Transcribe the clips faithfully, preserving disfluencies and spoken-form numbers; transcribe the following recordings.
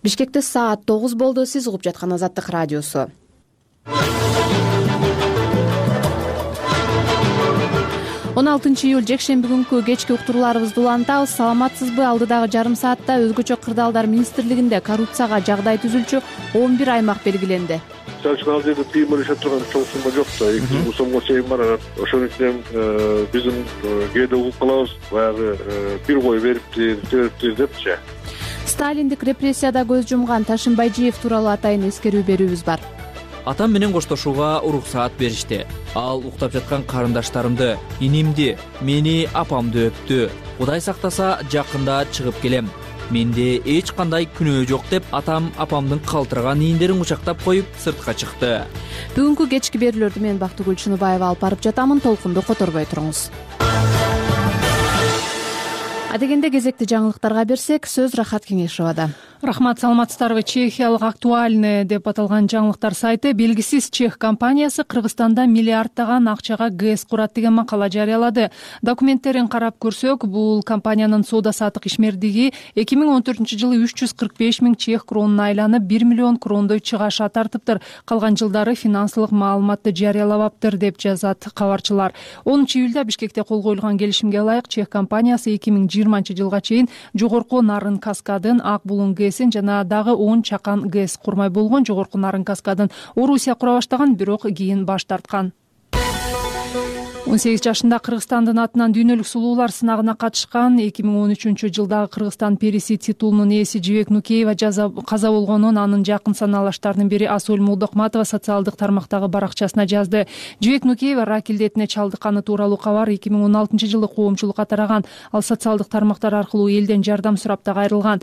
Бишкекте саат тогуз болду. Сиз угуп жаткан Азаттык радиосу. он алтынчы июль жекшемби күнкү кечки уктурууларыбызды улантабыз. Саламатсызбы? Алдыдагы жарым саатта өзгөчө кырдаалдар министрлигинде коррупцияга жагдай түзүлчү он бир аймак белгиленди. Чачкан ал жерде тыйым ишет турган чоң сумма жок да. эки жүз сомго чейин барат. Ошон үчүн биздин кээде угуп калабыз, баягы бир кой бериптир, бериптир депчи. Сталиндик репрессияда көз жумган Ташынбайжиев тууралуу атайын эскерүү берүүбүз бар. Атам менен коштошууга уруксаат беришти. Ал уктап жаткан карындаштарымды, инимди, мени, апамды өптү. Кудай сактаса, жакында чыгып келем. Менде эч кандай күнөө жок деп атам апамдын калтыраган ийиндерин кучактап коюп сыртка чыкты. Бүгүнкү кечки берүүлөрдү мен Бактыгүл Чыныбаева алып барып жатамын. Толкунду которбой туруңуз. Адегенде кезекти жаңылыктарга берсек, сөз Рахат Кеңешовада. Рахмат, саламатсыздарбы? Чехиялык «Актуальный» деп аталган жаңылыктар сайты белгисиз чех компаниясы Кыргызстанда миллиарддаган акчага ГЭС курат деген макала жарыялады. Документтерин карап көрсөк, бул компаниянын соода саттык ишмердиги эки миң он төртүнчү жылы үч жүз кырк беш миң чех кронуна айланып, бир миллион крондой чыгаша тартыптыр. Калган жылдары финансылык маалыматты жарыялабаптыр деп жазат кабарчылар. онунчу июлда Бишкекте кол коюлган келишимге ылайык чех компаниясы эки миң жыйырманчы жылга чейин жогорку Нарын каскадын, Ак булуң ГЭСин жана дагы он чакан ГЭС курмай болгон. Жогорку Нарын каскадын Орусия кура баштаган, бирок кийин баш тарткан. он сегиз жашында Кыргызстандын атынан дүйнөлүк сулуулар сынагына катышкан эки миң он үчүнчү жылдагы Кыргызстан периси титулунун ээси Жибек Нукеева каза болгонун анын жакын санаалаштарынын бири Асөл Молдокматова социалдык тармактагы баракчасына жазды. Жибек Нукеева рак илдетине чалдыкканы тууралуу кабар эки миң он алтынчы жылы коомчулукка тараган. Ал социалдык тармактар аркылуу элден жардам сурап да кайрылган.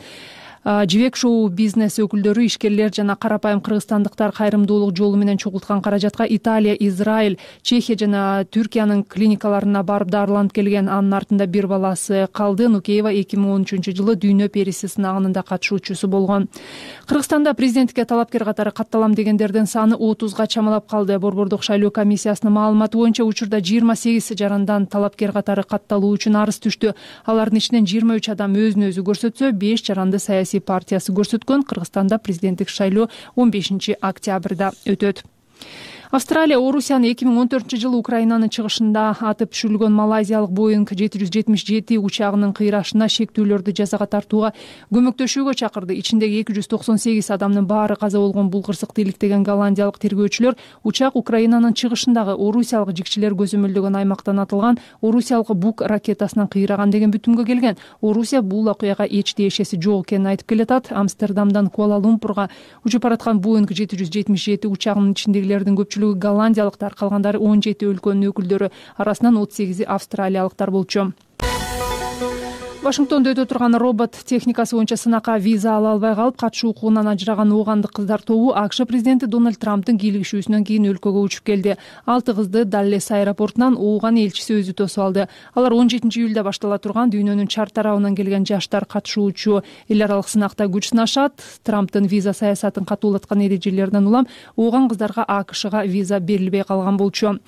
Жибек шоу бизнес өкүлдөрү, ишкерлер жана карапайым кыргызстандыктар кайрымдуулук жолу менен чогулткан каражатка Италия, Израиль, Чехия жана Түркиянын клиникаларына барып дарыланып келген. Анын артында бир баласы калды. Нукеева эки миң он үчүнчү жылы дүйнө периси сынагынын да катышуучусу болгон. Кыргызстанда президенттикке талапкер катары катталам дегендердин саны отузга чамалап калды. Борбордук шайлоо комиссиясынын маалыматы боюнча учурда жыйырма сегиз жарандан талапкер катары катталуу үчүн арыз түштү. Алардын ичинен жыйырма үч адам өзүн өзү көрсөтсө, беш жаранды саясий партиясы көрсөткөн. Кыргызстанда президенттик шайлоо он бешинчи октябрда өтөт. Австралия Орусияны эки миң он төртүнчү жылы Украинанын чыгышында атып түшүрүлгөн малайзиялык Боинг жети жүз жетимиш жети учагынын кыйрашына шектүүлөрдү жазага тартууга көмөктөшүүгө чакырды. Ичиндеги эки жүз токсон сегиз адамдын баары каза болгон бул кырсыкты иликтеген голландиялык тергөөчүлөр учак Украинанын чыгышындагы орусиялык жикчилер көзөмөлдөгөн аймактан атылган орусиялык Бук ракетасынан кыйраган деген бүтүмгө келген. Орусия бул окуяга эч тиешеси жок экенин айтып келатат. Амстердамдан Куала-Лумпурга учуп бараткан Боинг жети жүз жетимиш жети учагынын ичиндегилердин көпчүлүгү голландиялыктар, калгандары он жети өлкөнүн өкүлдөрү, арасынан отуз сегизи австралиялыктар болчу. Вашингтондо өтө турган робот техникасы боюнча сынакка виза ала албай калып, катышуу укугунан ажыраган оогандык кыздар тобу АКШ президенти Дональд Трамптын кийлигишүүсүнөн кийин өлкөгө учуп келди. Алты кызды Даллес аэропортунан ооган элчиси өзү тосуп алды. Алар он жетинчи июлда баштала турган дүйнөнүн чар тарабынан келген жаштар катышуучу эл аралык сынакта күч сынашат. Трамптын виза саясатын катуулаткан эрежелеринен улам ооган кыздарга АКШга виза берилбей калган болчу.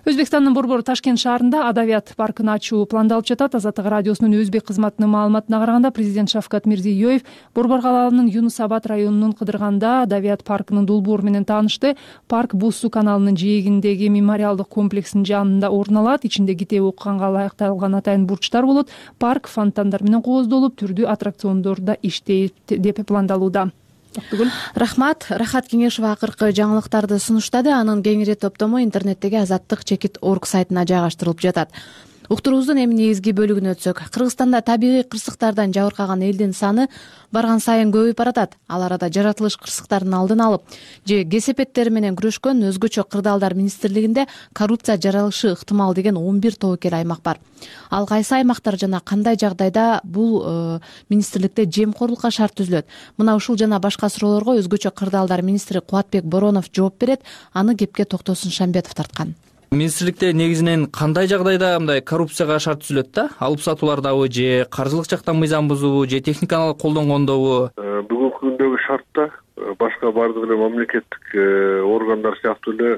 Өзбекстандын борбору Ташкент шаарында Адавият паркын ачуу пландалып жатат. Азаттык радиосунун өзбек кызматынын маалыматына караганда, президент Шавкат Мирзиёев Борбор калаанын Юнус Абад районунун Кыдырганда Адавият паркынын долбоору менен таанышты. Парк Бус суу каналынын жээгиндеги мемориалдык комплексинин жанында орун алат. Ичинде китеп окуганга ылайыкталган атайын бурчтар болот. Парк фонтандар менен кооздолуп, түрдүү аттракциондор да иштейт деп пландалууда. Рахмат. Рахат Кеңешова акыркы жаңылыктарды сунуштады. Анын кеңири топтому интернеттеги азаттык чекит точка орг сайтына жайгаштырылып жатат. Уктуруубуздун эми негизги бөлүгүнө өтсөк, Кыргызстанда табигый кырсыктардан жабыркаган элдин саны барган сайын көбөйүп баратат. Ал арада жаратылыш кырсыктардын алдын алып же кесепеттери менен күрөшкөн өзгөчө кырдаалдар министрлигинде коррупция жаралышы ыктымал деген он бир тобокел аймак бар. Ал кайсы аймактар жана кандай жагдайда бул э, министрликте жемкорлукка шарт түзүлөт? Мына ушул жана башка суроолорго өзгөчө кырдаалдар министри Кубатбек Боронов жооп берет. Аны кепке Токтосун Шамбетов тарткан. Министрликте негизинен кандай жагдайда мындай коррупцияга шарт түзүлөт да? Алып сатуулардабы же каржылык жактан мыйзам бузуубу же техниканы колдонгондобу? Бүгүнкү күндөгү шартта башка башка баардык эле мамлекеттик органдар сыяктуу эле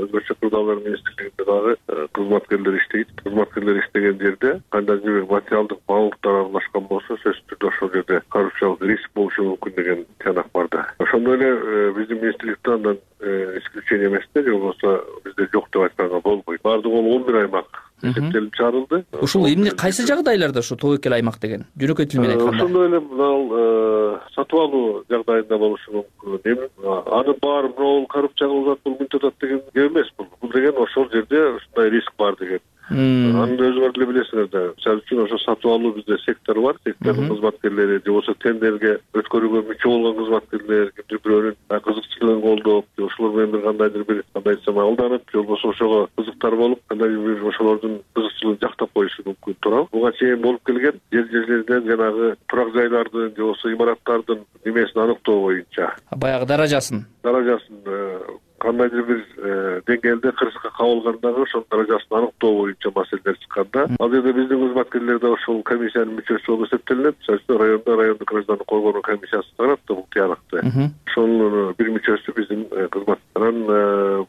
өзгөчө Кырдаалдар министрлигинде дагы кызматкерлер иштейт. Кызматкерлер иштеген жерде кандайдыр бир материалдык баалуулуктар аралашкан болсо, сөзсүз түрдө ошол жерде коррупциялык риск болушу мүмкүн деген тыянак бар да. Ошондой эле биздин министрликте андан исключение эмес да, же болбосо бизде жок деп айтканга болбойт. Баардыгы он бир аймак эсептелип чыгарылды. Ушул эмне кайсы жагдайларда ушу тобокел аймак деген жөнөкөй тил менен айтканда? Ошондой эле мына сатып алуу жагдайында болушу мүмкүн. Аны баары бирөө коррупция кылып атат, бул мынтип атат деген геп эмес бул. Бул деген ошол жерде ушундай риск бар деген. Аны өзүңөр деле билесиңер да. Мисалы үчүн ошо сатып алуу бизде сектор бар. Сектордун кызматкерлери же болбосо тендерге өткөрүүгө мүчө болгон кызматкерлер кимдир бирөөнүн кызыкчылыгын колдоп, же ошолор менен бир кандайдыр бир кандай десем алданып, же болбосо ошого кызыктар болуп, кандайдыр бир ошолордун кызыкчылыгын жактап коюшу мүмкүн турат. Буга чейин болуп келген жер-жерлерден жанагы турак жайлардын же болбосо имараттардын немесин аныктоо боюнча, баягы даражасын даражасын кандайдыр бир деңгээлде кырсыкка кабылгандагы ошол даражасын аныктоо боюнча маселелер чыкканда, ал жерде биздин кызматкерлер да ошол комиссиянын мүчөсү болуп эсептелинет. Мисалы үчүн райондо райондук граждандык коргоонун комиссиясы чыгарат да бул тыянакты. Ошонун бир мүчөсү биздин кызмат. Анан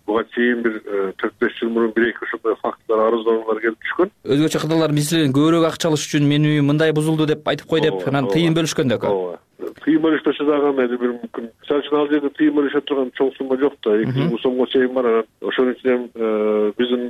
буга чейин бир төрт беш жыл мурун бир эки ошондой фактылар, арыздоонулар келип түшкөн. Өзгөчө Кырдаалдар министрлигинен көбүрөөк акча алыш үчүн мен үйүм мындай бузулду деп айтып кой деп анан тыйын бөлүшкөн да экен. Тыйын бөлүштөсө дагы кандайдыр бир мүмкүн. Мисалы үчүн ал жерде тыйын бөлүшө турган чоң сумма жок да, эки жүз миң сомго чейин бар. Анан ошонун ичинен биздин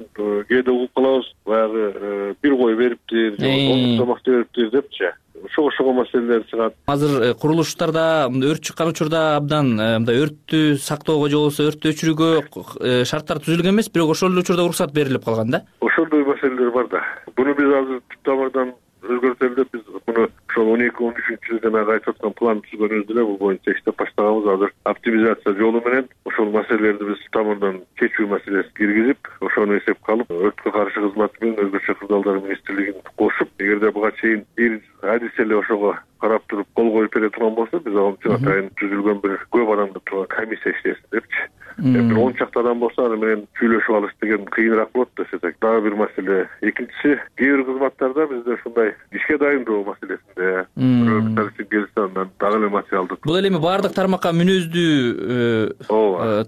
кээде угуп калабыз, баягы бир кой бериптир, он сомакты бериптир депчи. Ошого маселелер чыгат. Азыр курулуштарда өрт чыккан учурда абдан мындай өрттү сактоого же болбосо өрттү өчүрүүгө шарттар түзүлгөн эмес, бирок ошол учурда уруксат берилип калган да. Ошондой маселелер бар да. Буну биз азыр түп тамырдан өзгөртөлү деп биз буну ошол он эки он үчүнчү жылы жанагы айтып аткан план түзгөнүбүз деле бул боюнча иштеп баштаганбыз. Азыр оптимизация жолу менен ошол маселелерди биз тамырдан чечүү маселесин киргизип, ошону эсепке алып, өрткө каршы кызматы менен өзгөчө Кырдаалдар министрлигин кошуп, эгерде буга чейин бир адис эле ошого карап туруп кол коюп бере турган болсо, биз ал үчүн атайын түзүлгөн бир көп адамды турган комиссия иштесин депчи. Бир он чакты адам болсо аны менен сүйлөшүп алыш деген кыйыныраак болот десек. Дагы бир маселе. Экинчиси, кээ бир кызматтарда бизде ушундай ишке дайындоо маселесинде бирөө мисалы үчүн келсе андан дагы эле материалды. Бул эми баардык тармакка мүнөздүү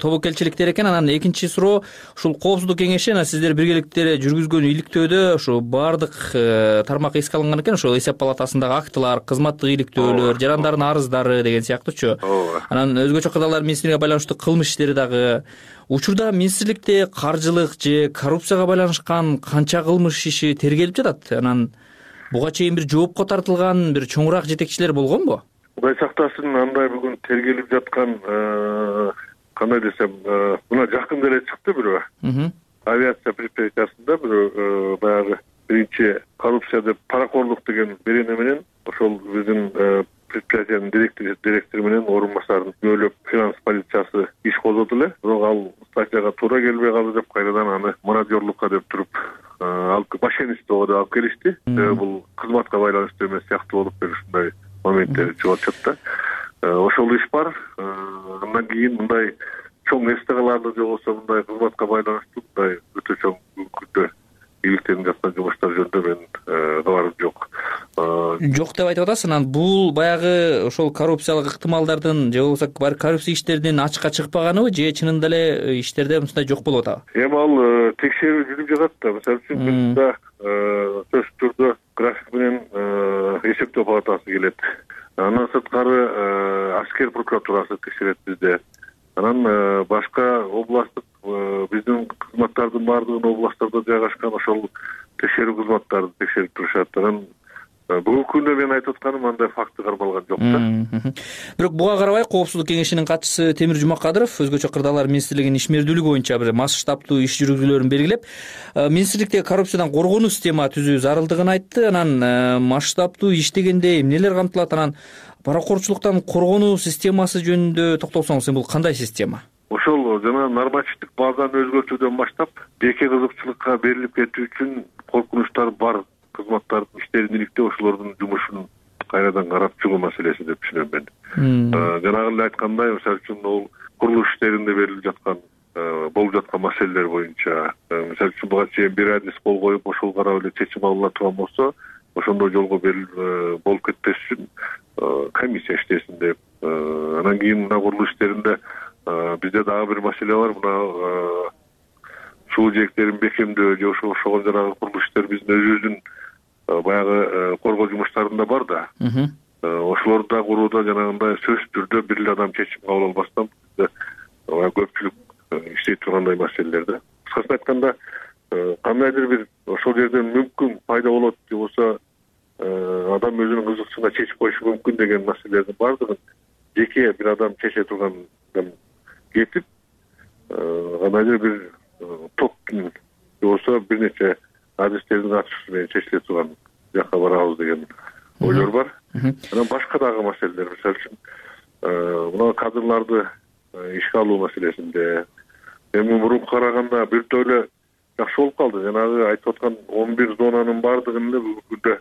тобокелчиликтер экен. Анан экинчи суроо, ушул коопсуздук кеңеши анан сиздер биргеликте жүргүзгөн иликтөөдө ошо баардык тармак эске алынган экен. Ошол эсеп палатасындагы актылар, кызматтык иликтөөлөр, жарандардын арыздары деген сыяктуучу. Анан өзгөчө Кырдаалдар министрлигине байланыштуу кылмыш иштери дагы. Учурда министрликте каржылык же коррупцияга байланышкан канча кылмыш иши тергелип жатат? Анан буга чейин бир жоопко тартылган бир чоңураак жетекчилер болгонбу? Кудай сактасын, андай бүгүн тергелип жаткан кандай десем, мына жакында эле чыкты бирөө. Авиация предприятиясында бирөө баягы биринчи коррупция деп паракорлук деген берене менен ошол биздин предприятиянын директору менен орун басарын күнөөлөп финанс полициясы иш козгоду эле. Бирок ал статьяга туура келбей калды деп кайрадан аны мародёрлукка деп туруп алып мошенничествого деп алып келишти. Бул кызматка байланыштуу эмес сыяктуу болуп бир ушундай моменттер чыгып атышат да. Ошол иш бар. Андан кийин мындай чоң эстегаларды же болбосо мындай кызматка байланыштуу мындай өтө чоң күндө иликтенип жаткан жумуштар жөнүндө менин кабарым жок. Жок деп айтып атасыз. Анан бул баягы ошол коррупциялык ыктымалдардын же болбосо коррупция иштеринин ачыкка чыкпаганыбы же чынында эле иштерде мындай жок болуп атабы? Эми ал текшерүү жүрүп жатат да. Мисалы үчүн бизде сөзсүз түрдө график менен эсептөө палатасы келет. Андан сырткары аскер прокуратурасы текшерет бизде. Анан башка областтык биздин кызматтардын баардыгын областтарда жайгашкан ошол текшерүү кызматтарды текшерип турушат. Анан бүгүнкү күндө мен айтып атканым андай факты кармалган жок да. Бирок буга карабай Коопсуздук кеңешинин катчысы Темир Жумакадыров өзгөчө Кырдаалдар министрлигинин ишмердүүлүгү боюнча бир масштабтуу иш жүргүзүүлөрүн белгилеп, министрликте коррупциядан коргонуу система түзүү зарылдыгын айтты. Анан масштабтуу иштегенде эмнелер камтылат? Анан паракорчулуктан коргонуу системасы жөнүндө токтолсоңуз, бул кандай система? Ошол жана нормативдик базаны өзгөртүүдөн баштап жеке кызыкчылыкка берилип кетүү үчүн коркунучтар бар кызматтардын иштерин иликтөө, ошолордун жумушун кайрадан карап чыгуу маселеси деп түшүнөм мен. Жанагы эле айткандай, мисалы үчүн ол курулуш иштеринде берилип жаткан болуп жаткан маселелер боюнча, мисалы үчүн буга чейин бир адис кол коюп ошол карап эле чечим алына турган болсо, ошондой жолго болуп кетпеш үчүн комиссия иштесин деп. Анан кийин мына курулуш иштеринде дагы бир маселе бар. Мына суу жээктерин бекемдөө же ошого окшогон жанагы курулуш иштер биздин өзүбүздүн баягы коргоо жумуштарында бар да. Ошолорду да курууда жанагындай сөзсүз түрдө бир эле адам чечим кабыл албастан көпчүлүк иштей тургандай маселелерди. Кыскасын айтканда, кандайдыр бир ошол жерден мүмкүн пайда болот же болбосо адам өзүнүн кызыкчылыгына чечип коюшу мүмкүн деген маселелердин баардыгын жеке бир адам чече тургандан кетип, кандайдыр бир топтун же болбосо бир нече адистердин катышуусу менен чечиле турган жакка барабыз деген ойлор бар. Анан башка дагы маселелер, мисалы үчүн мына кадрларды ишке алуу маселесинде эми мурунку караганда биртөө эле жакшы болуп калды. Жанагы айтып аткан он бир зонанын баардыгын эле бүгүнкү күндө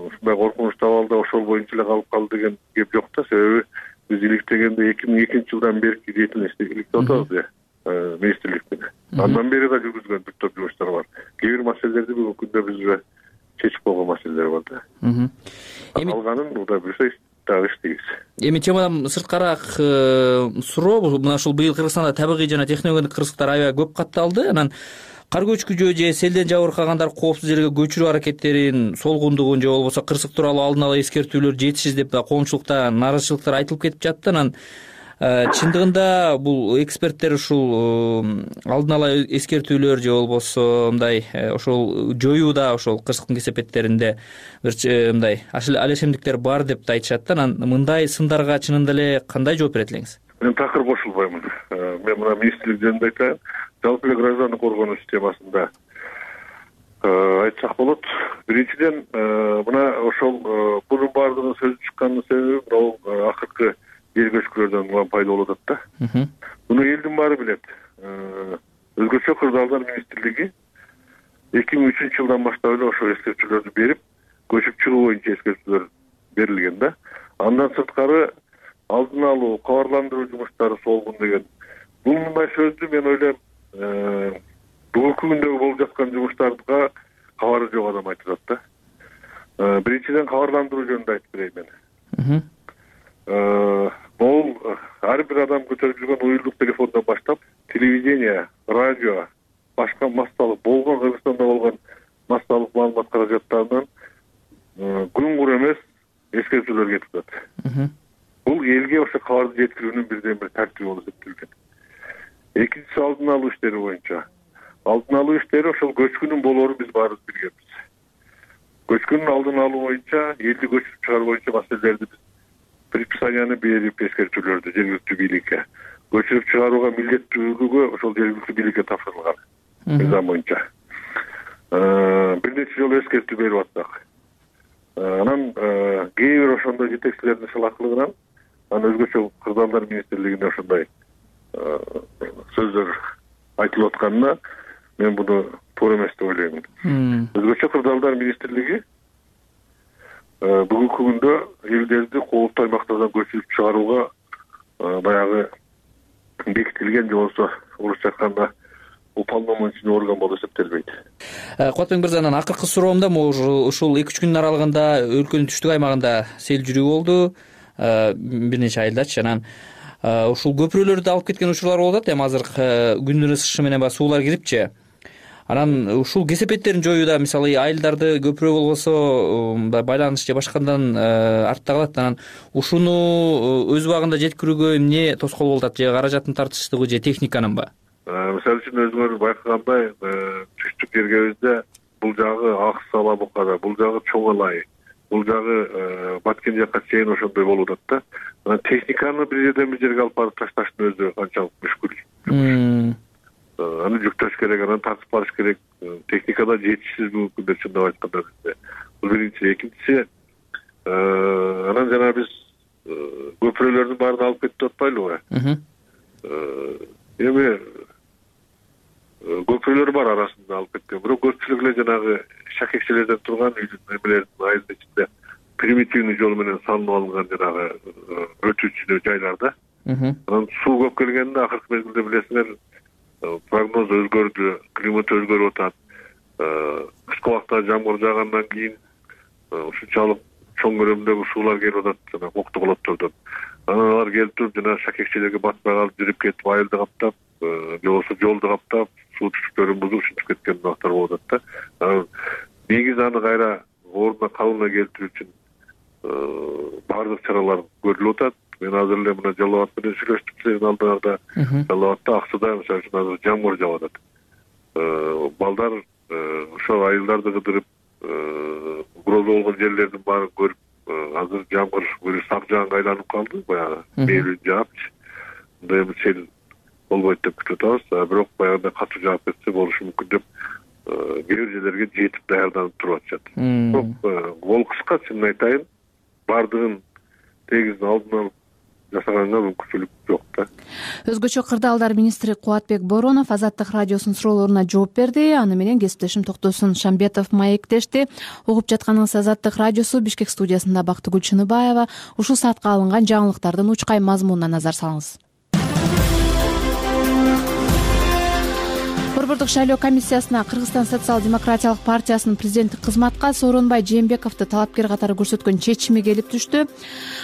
ушундай коркунучтуу абалда ошол боюнча эле калып калды деген кеп жок да. Себеби биз иликтегенде эки миң экинчи жылдан берки деятельность иликтеп атабыз э министрлик менен. Андан бери да жүргүзгөн бир топ жумуштар бар. Кээ бир маселелерди бүгүнкү күндө биз уже чечип койгон маселелер бар да. Эми алганын Кудай буйрса дагы иштейбиз. Эми темадан сырткараак суроо, мына ушул быйыл Кыргызстанда табигый жана технологиялык кырсыктар аябай көп катталды. Анан кар көчкү же селден жабыркагандар коопсуз жерге көчүрүү аракеттерин, солгундугун же болбосо кырсык тууралуу алдын ала эскертүүлөр жетишсиз деп да коомчулукта нааразычылыктар айтылып кетип жатты. Анан чындыгында бул эксперттер ушул алдын ала эскертүүлөр же болбосо мындай ошол жоюуда ошол кырсыктын кесепеттеринде бир мындай алешемдиктер бар деп да айтышат. Анан мындай сындарга чынында эле кандай жооп берет элеңиз? Мен такыр кошулбаймын. Мен мына министрлик жөнүндө айтайын. Жалпы эле граждандык коргонуу системасында айтсак болот. Биринчиден, мына ошол бунун баардыгынын сөзү чыкканынын себеби бул акыркы жер көчкүлөрдөн улам пайда болуп атат да. Муну элдин баары билет. Өзгөчө Кырдаалдар министрлиги эки миң үчүнчү жылдан баштап эле ошол эскертүүлөрдү берип, көчүп чыгуу боюнча эскертүүлөр берилген да. Андан сырткары алдын алуу, кабарландыруу жумуштары солгун деген. Бул мындай сөздү мен ойлойм, бүгүнкү күндөгү болуп жаткан жумуштарга кабары жок адам айтып атат да. Биринчиден кабарландыруу жөнүндө айтып берейин мен. Бул ар бир адам көтөрүп жүргөн уюлдук телефондон баштап, телевидение, радио, башка массалык болгон Кыргызстанда болгон массалык маалымат каражаттарынан күн-кур эмес эскертүүлөр кетип атат. Бул элге ошо кабарды жеткирүүнүн бирден бир тартиби болуп эсептелген. Экинчиси алдын алуу иштери боюнча. Алдын алуу иштери ошол көчкүнүн болоорун биз баарыбыз билгенбиз. Көчкүнүн алдын алуу боюнча, элди көчүрүп чыгаруу боюнча маселелерди биз предписанияны берип эскертүүлөрдү жергиликтүү бийликке көчүрүп чыгарууга милдеттүүлүгү ошол жергиликтүү бийликке тапшырылган мыйзам боюнча. Бир нече жолу эскертүү берип аттык. Анан кээ бир ошондой жетекчилердин салаклыгынан анан өзгөчө Кырдаалдар министрлигине ошондой сөздөр айтылып атканына мен буну туура эмес деп ойлойм. Өзгөчө Кырдаалдар министрлиги бүгүнкү күндө элдерди кооптуу аймактардан көчүрүп чыгарууга баягы бекитилген же болбосо орусча айтканда уполномоченный орган болуп эсептелбейт. Кубатбек мырза, анан акыркы суроомда ушул эки үч күндүн аралыгында өлкөнүн түштүк аймагында сел жүрүү болду, бир нече айылдачы. Анан ушул көпүрөлөрдү алып кеткен учурлар болуп атат. Эми азыр күндүн ысышы менен баягы суулар кирипчи. Анан ушул кесепеттерин жоюуда, мисалы, айылдарды көпүрө болбосо байланыш же башкадан артта калат. Анан ушуну өз убагында жеткирүүгө эмне тоскоол болуп атат? Же каражаттын тартычтыгы же техниканынбы? Мисалы үчүн өзүңөр байкагандай, түштүк жергебизде бул жагы Акс Алабукада, бул жагы Чоң Алай, бул жагы Баткен жакка чейин ошондой болуп атат да. Анан техниканы бир жерден бир жерге алып барып ташташтын өзү канчалык мүшкүл. Аны жүктөш керек, анан тартып барыш керек. Техникада жетишсиз бүгүнкү күндө чындап айтканда бизде. Бул биринчи. Экинчиси, анан жана биз көпүрөлөрдүн баарын алып кетип атпайлыбы? Эми көпүрөлөр бар арасында алып кеткен. Бирок көпчүлүк эле жанагы шакекчелерден турган үйдүн эмелердин айылдын ичинде примитивный жол менен салынып алынган жанагы өтүүчү жайларда. Анан суу көп келгенде акыркы мезгилде билесиңер, прогноз өзгөрдү, климат өзгөрүп атат. Кышкы убакта жамгыр жаагандан кийин ушунчалык чоң көлөмдөгү суулар келип атат жана кокту колоттордон. анан алар келип туруп жана шакекчелерге батпай калып жүрүп кетип айылды каптап же болбосо жолду каптап суу түтүктөрүн бузуп ушинтип кеткен убактар болуп атат да. Негизи аны кайра ордуна калыбына келтирүү үчүн баардык чаралар көрүлүп атат. Мен азыр эле мына Жалал Абад менен сүйлөштүм сенин алдыңарда. Жалал Абадда Аксыда мисалы үчүн азыр жамгыр жаап атат. Балдар ошол айылдарды кыдырып угроза болгон жерлердин баарын көрүп, азыр жамгыр бир сак жаанга айланып калды, баягы мээлүү жаапчы. Мындай эми сел болбойт деп күтүп атабыз. Бирок баягындай катуу жаап кетсе болушу мүмкүн деп кээ бир жерлерге жетип даярданып туруп атышат. Бирок кол кыска чынын айтайын, баардыгын тегиз алдын алып жасаганга мүмкүнчүлүк жок да. Өзгөчө кырдаалдар министри Кубатбек Боронов Азаттык радиосунун суроолоруна жооп берди. Аны менен кесиптешим Токтосун Шамбетов маектешти. Угуп жатканыңыз Азаттык радиосу, Бишкек студиясында Бактыгүл Чыныбаева. Ушул саатка алынган жаңылыктардын учкай мазмунуна назар салыңыз. Борбордук шайлоо комиссиясына Кыргызстан социал-демократиялык партиясынын президенттик кызматка Сооронбай Жээнбековду талапкер катары көрсөткөн чечими келип түштү.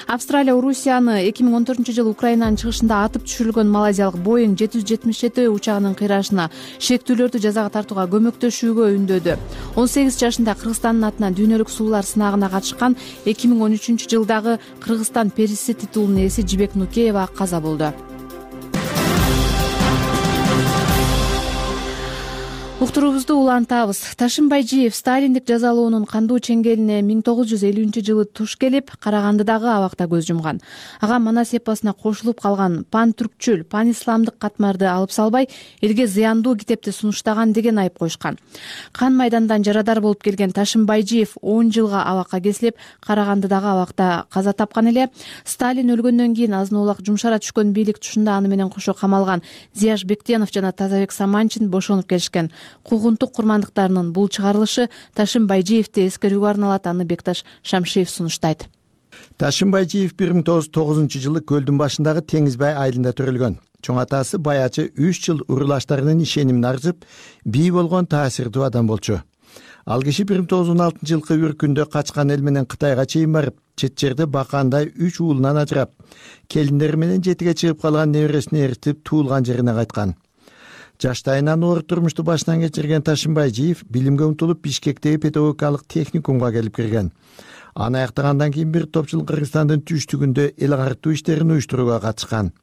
Австралия Орусияны эки миң он төртүнчү жылы Украинанын чыгышында атып түшүрүлгөн малайзиялык Боeing жети жүз жетимиш жети учагынын кыйрашына шектүүлөрдү жазага тартууга көмөктөшүүгө үндөдү. он сегиз жашында Кыргызстандын атынан дүйнөлүк суулар сынагына катышкан эки миң он үчүнчү жылдагы Кыргызстан периси титулунун ээси Жибек Нукеева каза болду. Уктуруубузду улантабыз. Ташим Байжиев сталиндик жазалоонун кандуу чеңгелине миң тогуз жүз элүүнчү жылы туш келип, Карагандыдагы абакта көз жумган. Ага Манас эпосуна кошулуп калган пан-түркчүл, пан-исламдык катмарды алып салбай, элге зыяндуу китепти сунуштаган деген айып коюшкан. Кан майдандан жарадар болуп келген Ташим Байжиев он жылга абакка кесилип, Карагандыдагы абакта каза тапкан эле. Сталин өлгөндөн кийин азын-аулак жумшара түшкөн бийлик тушунда аны менен кошо камалган Зияш Бектенов жана Тазабек Саманчин бошонуп келишкен. Куугунтук курмандыктарынын бул чыгарылышы Ташим Байжиевди эскерүүгө арналат, аны Бекташ Шамшиев сунуштайт. Ташим Байжиев бир миң тогуз жүз тогузунчу жылы көлдүн башындагы Теңизбай айылында төрөлгөн. Чоң атасы баячы үч жыл уруулаштарынын ишенимин арзып, бий болгон таасирдүү адам болчу. Ал киши бир миң тогуз жүз он алтынчы жылкы бир күндө качкан эл менен Кытайга чейин барып, чет жерде бакаандай үч уулунан ажырап, келиндери менен жетиге чыгып калган небересин эритип туулган жерине кайткан. Жаштайынан оор турмушту башынан кечирген Ташим Байжиев билимге умтулуп Бишкектеги педагогикалык техникумга келип кирген. Аны аяктагандан кийин бир топчул Кыргызстандын түштүгүндө эл карттуу иштерин уюштурууга катышкан.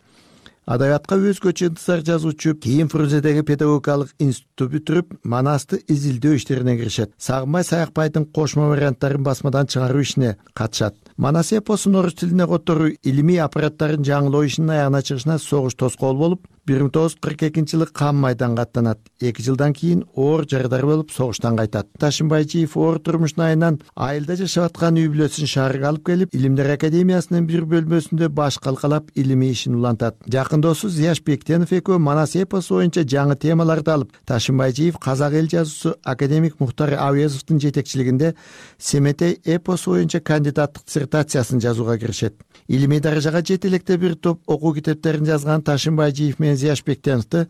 Адабиятка өзгөчө ынтызар жазуучу, кийин Фрунзедеги педагогикалык институтту бүтүрүп, Манасты изилдөө иштерине киришет. Сагынбай Саякбайдын кошмо варианттарын басмадан чыгаруу ишине катышат. Манас эпосун орус тилине которуу илимий аппараттарын жаңылоо ишинин аягына чыгышына согуш тоскоол болуп, бир миң тогуз жүз кырк экинчи жылы Кан майданга аттанат. эки жылдан кийин оор жарадар болуп согуштан кайтат. Ташим Байжиев оор турмушунун айынан айылда жашап аткан үй бүлөсүн шаарга алып келип, Илимдер академиясынын бир бөлмөсүндө баш калкалап илимий ишин улантат. Жакын досу Зияш Бектенов экөө Манас эпосу боюнча жаңы темаларды алып, Ташим Байжиев казак эл жазуусу академик Мухтар Авезовдун жетекчилигинде Семетей эпосу боюнча кандидаттык диссертациясын жазууга киришет. Илимий даражага жете электе бир топ окуу китептерин жазган Ташим Байжиев менен Зияш Бектеновду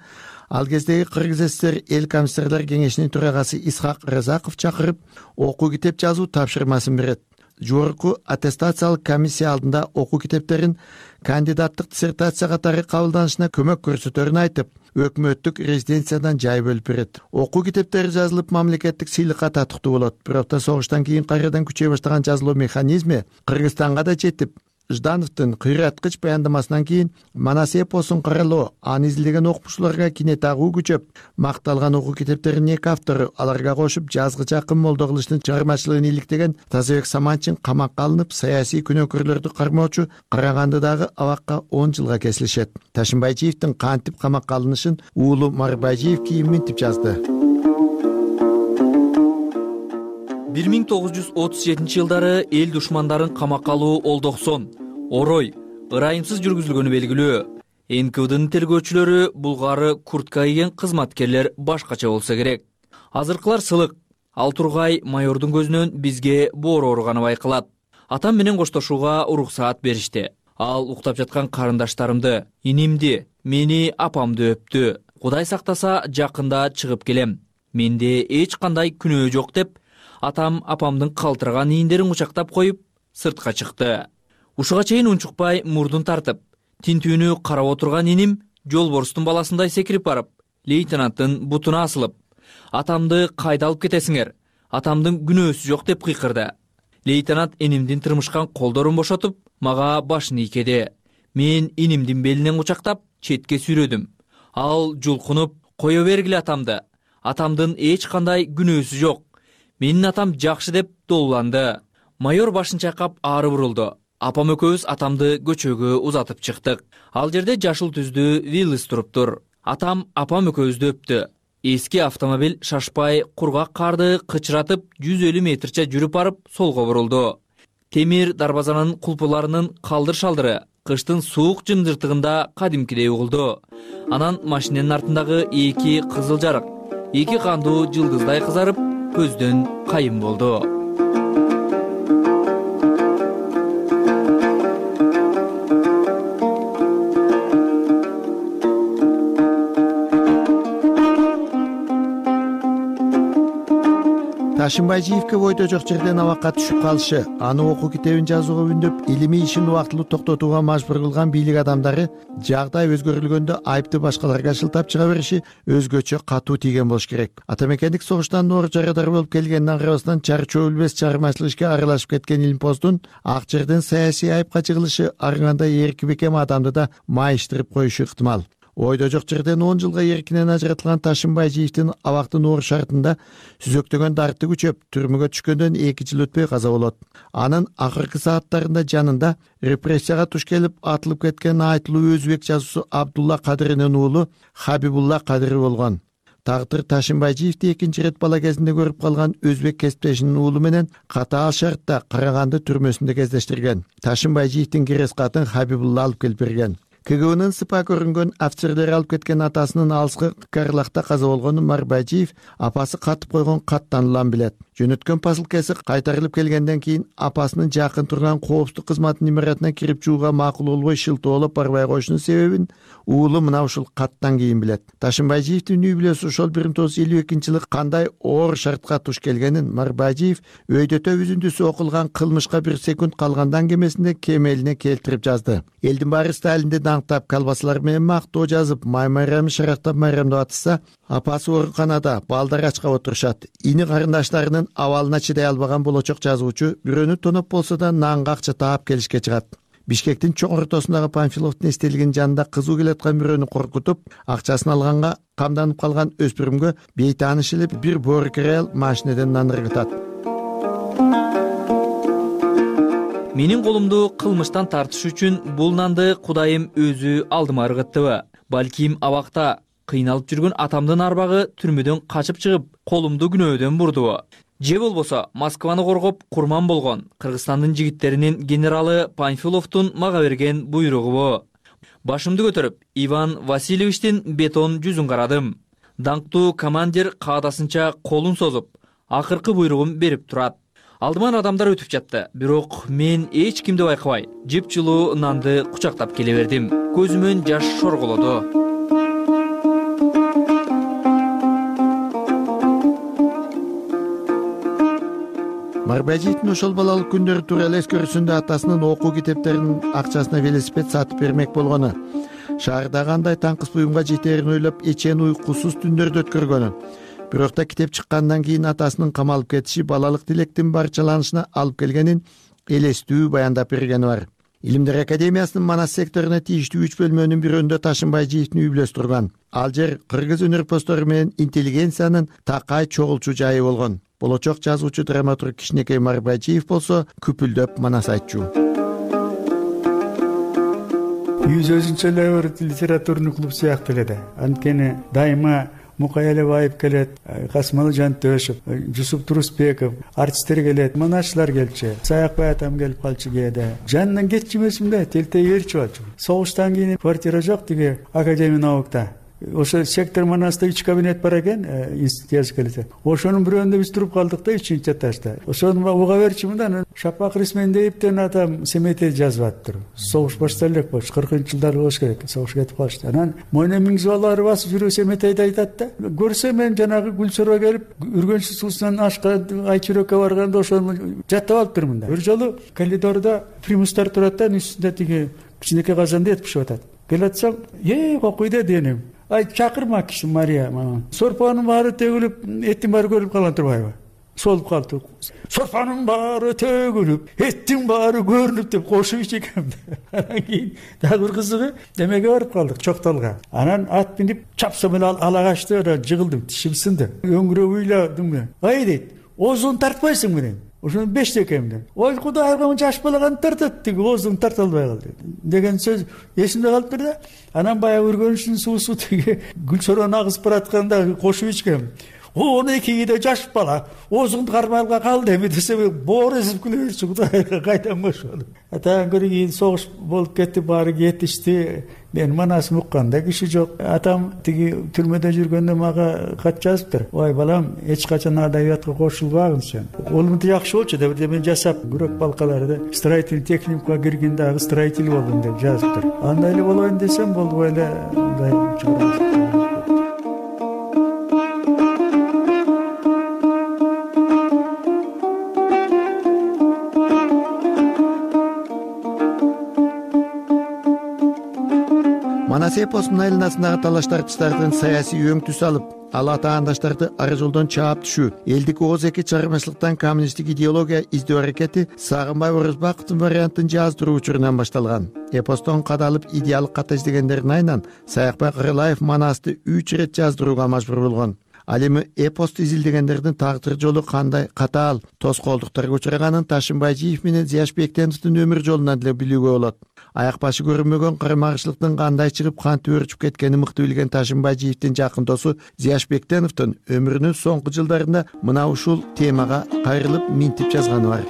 ал кездеги Кыргыз ССР эл комиссарлар кеңешинин төрагасы Исхак Разаков чакырып, окуу китеп жазуу тапшырмасын берет. Жогорку аттестациялык комиссия алдында окуу китептерин кандидаттык диссертация катары кабылданышына көмөк көрсөтөрүн айтып, өкмөттүк резиденциядан жай бөлүп берет. Окуу китептери жазылып, мамлекеттик сыйлыкка татыктуу болот. Бирок да согуштан кийин кайрадан күчөй баштаган жазылуу механизми Кыргызстанга да жетип, Ждановдун кыйраткыч баяндамасынан кийин Манас эпосун каралоо, аны изилдеген окумуштууларга кинет агуу күчөп, макталган окуу китептеринин эки автору, аларга кошуп жазгыч акын Молдоголуштун чыгармачылыгын иликтеген Тазабек Саманчин камакка алынып, саясий күнөөкөрлөрдү кармоочу Карагандыдагы абакка он жылга кесилишет. Ташим Байжиевдин кантип камакка алынышын уулу Мар Байжиев кийин минтип жазды. бир миң тогуз жүз отуз жетинчи жылдары эл душмандарын камакка алуу олдоксон, орой, ырайымсыз жүргүзүлгөнү белгилүү. эн ка вдын тергөөчүлөрү булгары куртка кийген кызматкерлер башкача болсо керек. Азыркылар сылык, ал тургай майордун көзүнөн бизге боор ооруганы байкалат. Атам менен коштошууга уруксаат беришти. Ал уктап жаткан карындаштарымды, инимди, мени, апамды өптү. Кудай сактаса жакында чыгып келем. Менде эч кандай күнөө жок деп, атам апамдын калтыраган ийиндерин кучактап коюп, сыртка чыкты. Ушуга чейин унчукпай мурдун тартып, тинтүүнү карап отурган иним жолборстун баласындай секирип барып, лейтенанттын бутуна асылып: "Атамды кайда алып кетесиңер? Атамдын күнөөсү жок" деп кыйкырды. Лейтенант инимдин тырмышкан колдорун бошотуп, мага башын ийкеди. Мен инимдин белинен кучактап, четке сүйрөдүм. Ал жулкунуп: "Кое бергиле атамды. Атамдын эч кандай күнөөсү жок. Менин атам жакшы" деп долуланды. Майор башын чайкап ары бурулду. Апам экөөбүз атамды көчөгө узатып чыктык. Ал жерде жашыл түздүү Виллис туруптур. Атам апам экөөбүздү өптү. Эски автомобиль шашпай кургак карды кычыратып жүз элүү метрче жүрүп барып солго бурулду. Темир дарбазанын кулпуларынын калдыр-шалдыры кыштын суук жымжыртыгында кадимкидей угулду. Анан машинанын артындагы эки кызыл жарык, эки кандуу жылдыздай кызарып, көздөн кайым болду. Ташынбайжиевке бойдо жок жерден абакка түшүп калышы, аны окуу китебин жазууга үндөп, илимий ишин убактылуу токтотууга мажбур кылган бийлик адамдары жагдай өзгөрүлгөндө айыпты башкаларга шылтап чыга бериши өзгөчө катуу тийген болуш керек. Атамекендик согуштан оор жарадар болуп келгенине карабастан чарчоо билбес чыгармачылык ишке аралашып кеткен Илимпоздун ак жерден саясий айыпка жыгылышы аргандай эрки бекем адамды да майыштырып коюшу ыктымал. Ойдо жок жерден он жылга эркинен ажыратылган Ташынбайжиевдин абактын оор шартында сүзөктөгөн дарты күчөп, түрмөгө түшкөндөн эки жыл өтпөй каза болот. Анын акыркы сааттарында жанында репрессияга туш келип атылып кеткен айтылуу өзбек жазуусу Абдулла Кадыринин уулу Хабибулла Кадыри болгон. Тагдыр Ташынбайжиевди экинчи ирет бала кезинде көрүп калган өзбек кесиптешинин уулу менен катаал шартта Караганды түрмөсүндө кездештирген. Ташынбайжиевдин кирес катын Хабибулла алып келип берген. КГБнын сыпа көрүнгөн офицерлери алып кеткен атасынын алыскы Карлакта каза болгонун Марбайжиев апасы катып койгон каттан улам билет. Жөнөткөн посылкасы кайтарылып келгенден кийин апасынын жакын турган коопсуздук кызматынын имаратына кирип чууга макул болбой шылтоолоп барбай коюшунун себебин уулу мына ушул каттан кийин билет. Ташынбайжиевдин үй бүлөсү ошол бир миң тогуз жүз элүү экинчи жылы кандай оор шартка туш келгенин Марбайжиев өйдөтө үзүндүсү окулган кылмышка бир секунд калгандан кемесинде кемелине келтирип жазды. Элдин баары Сталинди даңктап, колбасалар менен мактоо жазып, май-майрамы шарактап майрамдап атышса, апасы ооруканада балдар ачкап отурушат. Ини карындаштарынын абалына чыдай албаган болочок жазуучу бирөөнү тоноп болсо да нанга акча таап келишке чыгат. Бишкектин чоң ортосундагы Панфиловдун эстелигинин жанында кызуу келаткан бирөөнү коркутуп, акчасын алганга камданып калган өспүрүмгө бейтааныш эле бир боорукер аял машинеден нан ыргытат. Менин колумду кылмыштан тартыш үчүн бул нанды Кудайым өзү алдыма ыргыттыбы? Балким абакта кыйналып жүргөн атамдын арбагы түрмөдөн качып чыгып, колумду күнөөдөн бурдубу? Же болбосо Москваны коргоп курман болгон Кыргызстандын жигиттеринин генералы Панфиловдун мага берген буйругубу? Башымды көтөрүп, Иван Васильевичтин бетон жүзүн карадым. Даңктуу командир каадасынча колун созуп, акыркы буйругун берип турат. Алдыман адамдар өтүп жатты, бирок мен эч кимди байкабай, жыпчылуу нанды кучактап келе бердим. Көзүмөн жаш шорголоду. Марбайжиевдин ошол балалык күндөрү тууралуу эскерүүсүндө атасынын окуу китептеринин акчасына велосипед сатып бермек болгону, шаарда кандай таңкыс буюмга жетерин ойлоп эчен уйкусуз түндөрдү өткөргөнү, бирок да китеп чыккандан кийин атасынын камалып кетиши балалык тилектин барчаланышына алып келгенин элестүү баяндап бергени бар. Илимдер академиясынын Манас секторуна тийиштүү үч бөлмөнүн бирөөндө Ташынбайжиевдин үй бүлөсү турган. Ал жер кыргыз өнөрпоздору менен интеллигенциянын такай чогулчу жайы болгон. Болочок жазуучу драматург Кичинекей Марбайжиев болсо күпүлдөп манас айтчу. Үйүбүз өзүнчө эле бир литературный клуб сыяктуу эле да. Анткени дайыма Мукай Алибаев келет, Касымалы Жантөшев, Жусуп Турусбеков, артисттер келет, монашчылар келчү, Саякбай атам келип калчу кээде. Жанынан кетчү эмесмин да, телтей берчү болчу. Согуштан кийин квартира жок тиги Академия наукта. ошо сектор Манаста үч кабинет бар экен, жазып ошонун бирөөндө биз туруп калдык да, үчүнчү этажда. Ошону уга берчи мындан Шапак Рисмендеевден атам семетей жазып аттыр. Согуш баштала элек болчу, кыркынчы жылдары болуш керек, согуш кетип калышты. Анан мойна миңзибалары басып жүрүү семетейди айтат да. Көрсөм мен жанагы Гүлсөргө келип, Үргөнчү суусунан ашка Айчүрөккө барганда ошону жаттап алыптырмын да. Бир жолу коридордо примустар турат да, үстүндө тиги кичинекей казанда эт бишип атат. Келатсам, "Эй, кокуйда" денем. Ай, чакырма киши Мария мага. Сорпанын баары төгүлүп, эттин баары көрүнүп калган турбайбы? Солуп калды. Сорпанын баары төгүлүп, эттин баары көрүнүп деп кошуп ичекем. Анан кийин дагы бир кызыгы демеге барып калдык, Чоктолго. Анан ат минип чапсам эле ала качты, жыгылдым, тишим сынды. Өңгүрөп уйладым. Ай дейт, оозун тартпайсың менен. Ошону бешти экемден. Ой, Кудайга жаш балаган тартат, тиги оозун тарта албай калды деген сөз эсимде калыптыр да. Анан баягы Үргөнчүнүн суусу тиги Гүлсөрөнү агызып баратканда кошуп ичкем. он экиде жаш бала оозуңду кармалга калды эми десе боор эзип күлө берчү, Кудайга кайдан ошону. Атаан көрү кийин согуш болуп кетти, баары кетишти. Мен Манасын укканда киши жок. Атам тиги түрмөдө жүргөндө мага кат жазыптыр. Ой балам, эч качан адабиятка кошулбагын сен. Олумду жакшы болчу деп мен жасап, күрөк балкаларды строительный техникумга киргин, дагы строитель болдум деп жазыптыр. Андай эле болоюн десем болбой эле мындай чыгарып. Манас эпосунун айланасындагы талаш-тартыштардын саясий өң түс алып, ал атаандаштарды ары жолдон чаап түшүү, элдик ооз эки чыгармачылыктан коммунисттик идеология издөө аракети Сагынбай Орозбаковдун вариантын жаздыруу учурунан башталган. Эпостон кадалып идеалдык ката издегендердин айынан Саякбай Карылаев Манасты үч ирет жаздырууга мажбур болгон. Ал эми эпосту изилдегендердин тагдыр жолу кандай катаал тоскоолдуктарга учраганын Ташынбайжиев менен Зияшбектеновдун өмүр жолунан деле билүүгө болот. Аяк башы көрүнмөгөн карама-каршылыктын кандай чыгып кантип өрчүп кеткенин мыкты билген Ташынбайжиевдин жакын досу Зияшбектеновдун өмүрүнүн соңку жылдарында мына ушул темага кайрылып минтип жазганы бар.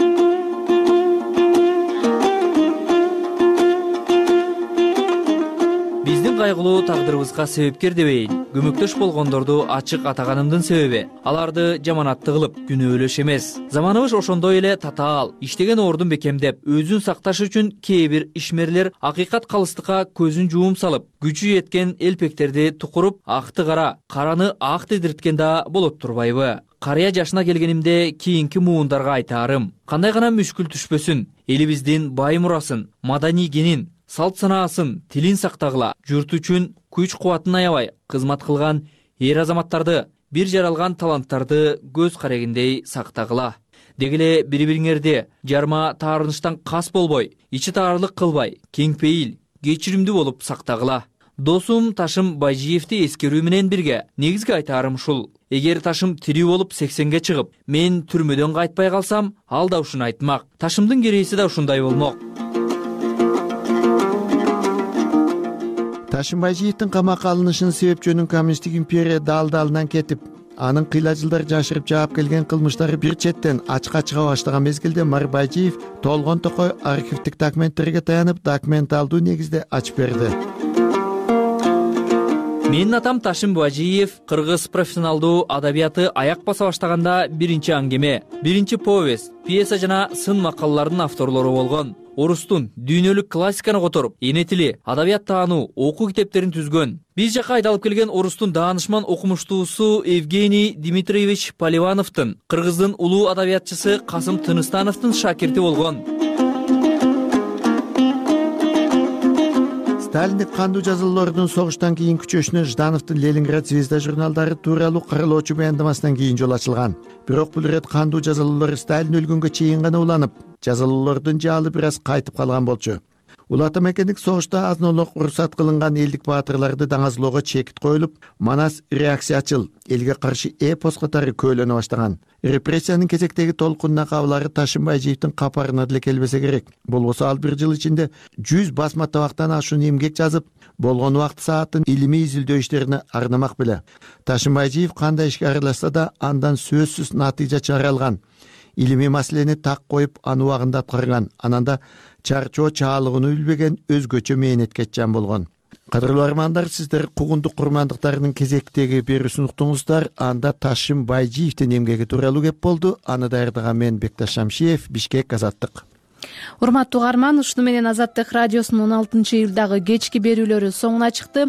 Биздин кайгылуу тагдырыбызга себепкер дебейин, көмөктөш болгондорду ачык атаганымдын себеби аларды жаманатты кылып, күнөөлөш эмес. Заманыбыз ошондой эле татаал, иштеген ордун бекемдеп, өзүн сакташ үчүн кээ бир ишмерлер акыйкат калыстыкка көзүн жуум салып, күчү жеткен элпектерди тукуруп, акты кара, караны ак дедирткен да болот турбайбы? Карыя жашына келгенимде кийинки муундарга айтаарым: кандай гана мүшкүл түшпөсүн, элибиздин бай мурасын, маданий генин, салт санаасын, тилин сактагыла, журт үчүн күч-кубатын аябай кызмат кылган эр азаматтарды, бир жаралган таланттарды көз карегиндей сактагыла. Дегеле бири-бириңерди жарма таарыныштан кас болбой, ичи таарлык кылбай, кеңпейил, кечиримдүү болуп сактагыла. Досум Ташым Байжиевди эскерүү менен бирге негизги айтаарым ушул: эгер Ташым тирүү болуп сексенге чыгып, мен түрмөдөн кайтпай калсам, ал да ушуну айтмак. Ташымдын керейси да ушундай болмок. Ташынбайжиевдин камакка алынышынын себепчөнүн коммунисттик империя дал-далынан кетип, анын кыйла жылдар жашырып жаап келген кылмыштары бир четтен ачка чыга баштаган мезгилде Марбайжиев толгон токой архивдик документтерге таянып, документалдуу негизде ачып берди. Менин атам Ташым Байжиев кыргыз профессионалдуу адабияты аяк баса баштаганда биринчи аңгеме, биринчи повесть, пьеса жана сын макалалардын авторлору болгон. Орустун дүйнөлүк классиканы которуп, эне тили, адабият таануу, окуу китептерин түзгөн. Биз жака айдалып келген орустун даанышман окумуштуусу Евгений Дмитриевич Поливановдун, кыргыздын улуу адабиятчысы Касым Тыныстановдун шакирти болгон. Сталиндик кандуу жазалоордун согуштан кийин күчөшүнө Ждановдун Ленинград звезда журналдары тууралуу каралоочу баяндамасынан кийин жол ачылган. Бирок бул ирет кандуу жазалоолор Сталин өлгөнгө чейин гана уланып, жазалоолордун жаалы бир аз кайтып калган болчу. Улата мекендик согушта азнолук уруксат кылынган элдик баатырларды даңазлоого чекит коюлуп, Манас реакциячыл, элге каршы эпос катары көөлөнө баштаган. Репрессиянын кезектеги толкунуна кабылары Ташынбайжиевдин капарына деле келбесе керек. Болбосо ал бир жыл ичинде жүз басма табактан ашуун эмгек жазып, болгон убакыт саатын илимий изилдөө иштерине арнамак беле. Ташынбайжиев кандай ишке аралашса да андан сөзсүз натыйжа чыгара алган. Илимий маселени так коюп, аны убагында аткарган. Ананда чарчоо чаалыгын билбеген өзгөчө мээнеткеччан болгон. Кадырлуу армандар, сиздер куугундук курмандыктарынын кезектеги берүүсүн уктуңуздар. Анда Ташим Байжиевдин эмгеги тууралуу кеп болду. Аны даярдаган мен Бекташ Шамшиев, Бишкек, Азаттык. Урматтуу угарман, ушуну менен Азаттык радиосунун он алтынчы июлдагы кечки берүүлөрү соңуна чыкты.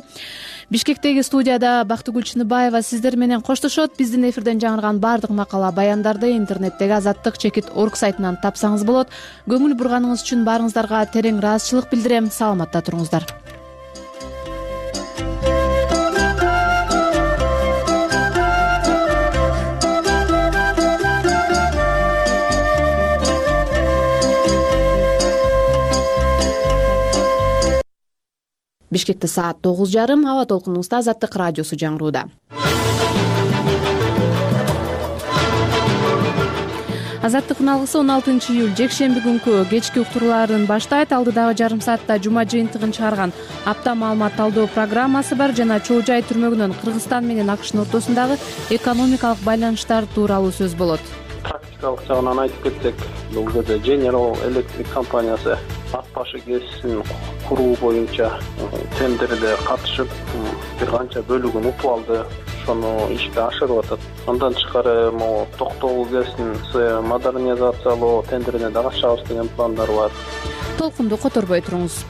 Бишкектеги студияда Бактыгүл Чыныбаева сиздер менен коштошот. Биздин эфирден жаңырган баардык макала баяндарды интернеттеги азаттык чекит орг сайтынан тапсаңыз болот. Көңүл бурганыңыз үчүн баарыңыздарга терең ыраазычылык билдирем. Саламатта туруңуздар. Бишкекте саат тогуз жарым, аба толкунубузда Азаттык радиосу жаңырууда. Азаттыктын алгысы он алтынчы июль жекшемби күнкү кечки уктурууларын баштайт. Алдыдагы жарым саатта жума жыйынтыгын чыгарган апта маалымат талдоо программасы бар жана Чоо Жай түрмөгүнөн Кыргызстан менен АКШнын ортосундагы экономикалык байланыштар тууралуу сөз болот. Практикалык жагынан айтып кетсек, бул жерде General Electric компаниясы ат башы КЭСин куруу боюнча тендерде катышып, бир канча бөлүгүн утуп алды. Ошону ишке ашырып атат. Андан тышкары могу Токтогул КЭСин модернизациялоо тендерине да катышабыз деген пландар бар. Толкунду которбой туруңуз.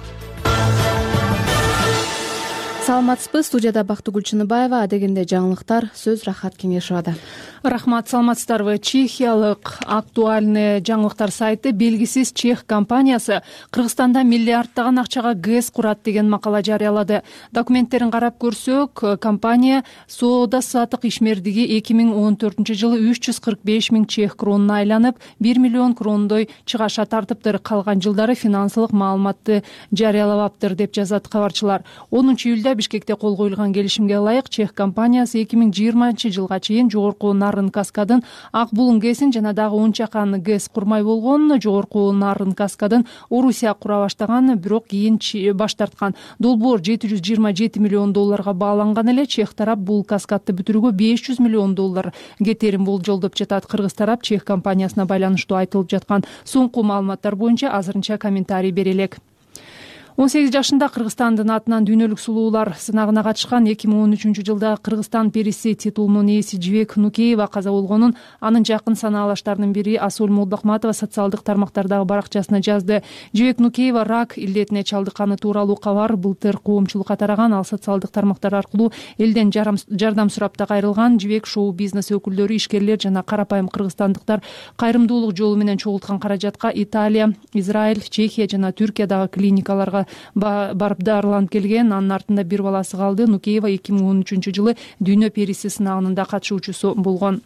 Саламатсызбы, студияда Бактыгүл Чыныбаева, адегенде жаңылыктар, сөз Рахат Кеңешовада. Рахмат, саламатсыздарбы. Чехиялык актуальный жаңылыктар сайты белгисиз чех компаниясы Кыргызстанда миллиардтаган акчага ГЭС курат деген макала жарыялады. Документтерин карап көрсөк, компания соода сатык ишмердиги эки миң он төртүнчү жылы үч жүз кырк беш миң чех кронуна айланып, бир миллион крондой чыгаша тартыптыр. Калган жылдары финансылык маалыматты жарыялабаптыр деп жазат кабарчылар. онунчу июлда Бишкекте кол коюлган келишимге ылайык чех компаниясы эки миң жыйырманчы жылга чейин жогорку Нарын каскадын Ак Булун ГЭСин жана дагы он чакан ГЭС курмай болгон. Жогорку Нарын каскадын Орусия кура баштаган, бирок кийин баш тарткан. Долбоор жети жүз жыйырма жети миллион долларга бааланган эле. Чех тарап бул каскадты бүтүрүүгө беш жүз миллион доллар кетерин болжолдоп жатат. Кыргыз тарап чех компаниясына байланыштуу айтылып жаткан соңку маалыматтар боюнча азырынча комментарий бере элек. он сегиз жашында Кыргызстандын атынан дүйнөлүк сулуулар сынагына катышкан эки миң он үчүнчү жылда Кыргызстан периси титулунун ээси Жибек Нукеева каза болгонун анын жакын санаалаштарынын бири Асул Молдохматова социалдык тармактардагы баракчасына жазды. Жибек Нукеева рак илдетине чалдыкканы тууралуу кабар былтыр коомчулукка тараган. Ал социалдык тармактар аркылуу элден жардам сурап да кайрылган. Жибек шоу бизнес өкүлдөрү, ишкерлер жана карапайым кыргызстандыктар кайрымдуулук жолу менен чогулткан каражатка Италия, Израиль, Чехия жана Түркиядагы клиникаларга барып дарыланып келген. Анын артында бир баласы калды. Нукеева эки миң он үчүнчү жылы дүйнө периси сынагынын да катышуучусу болгон.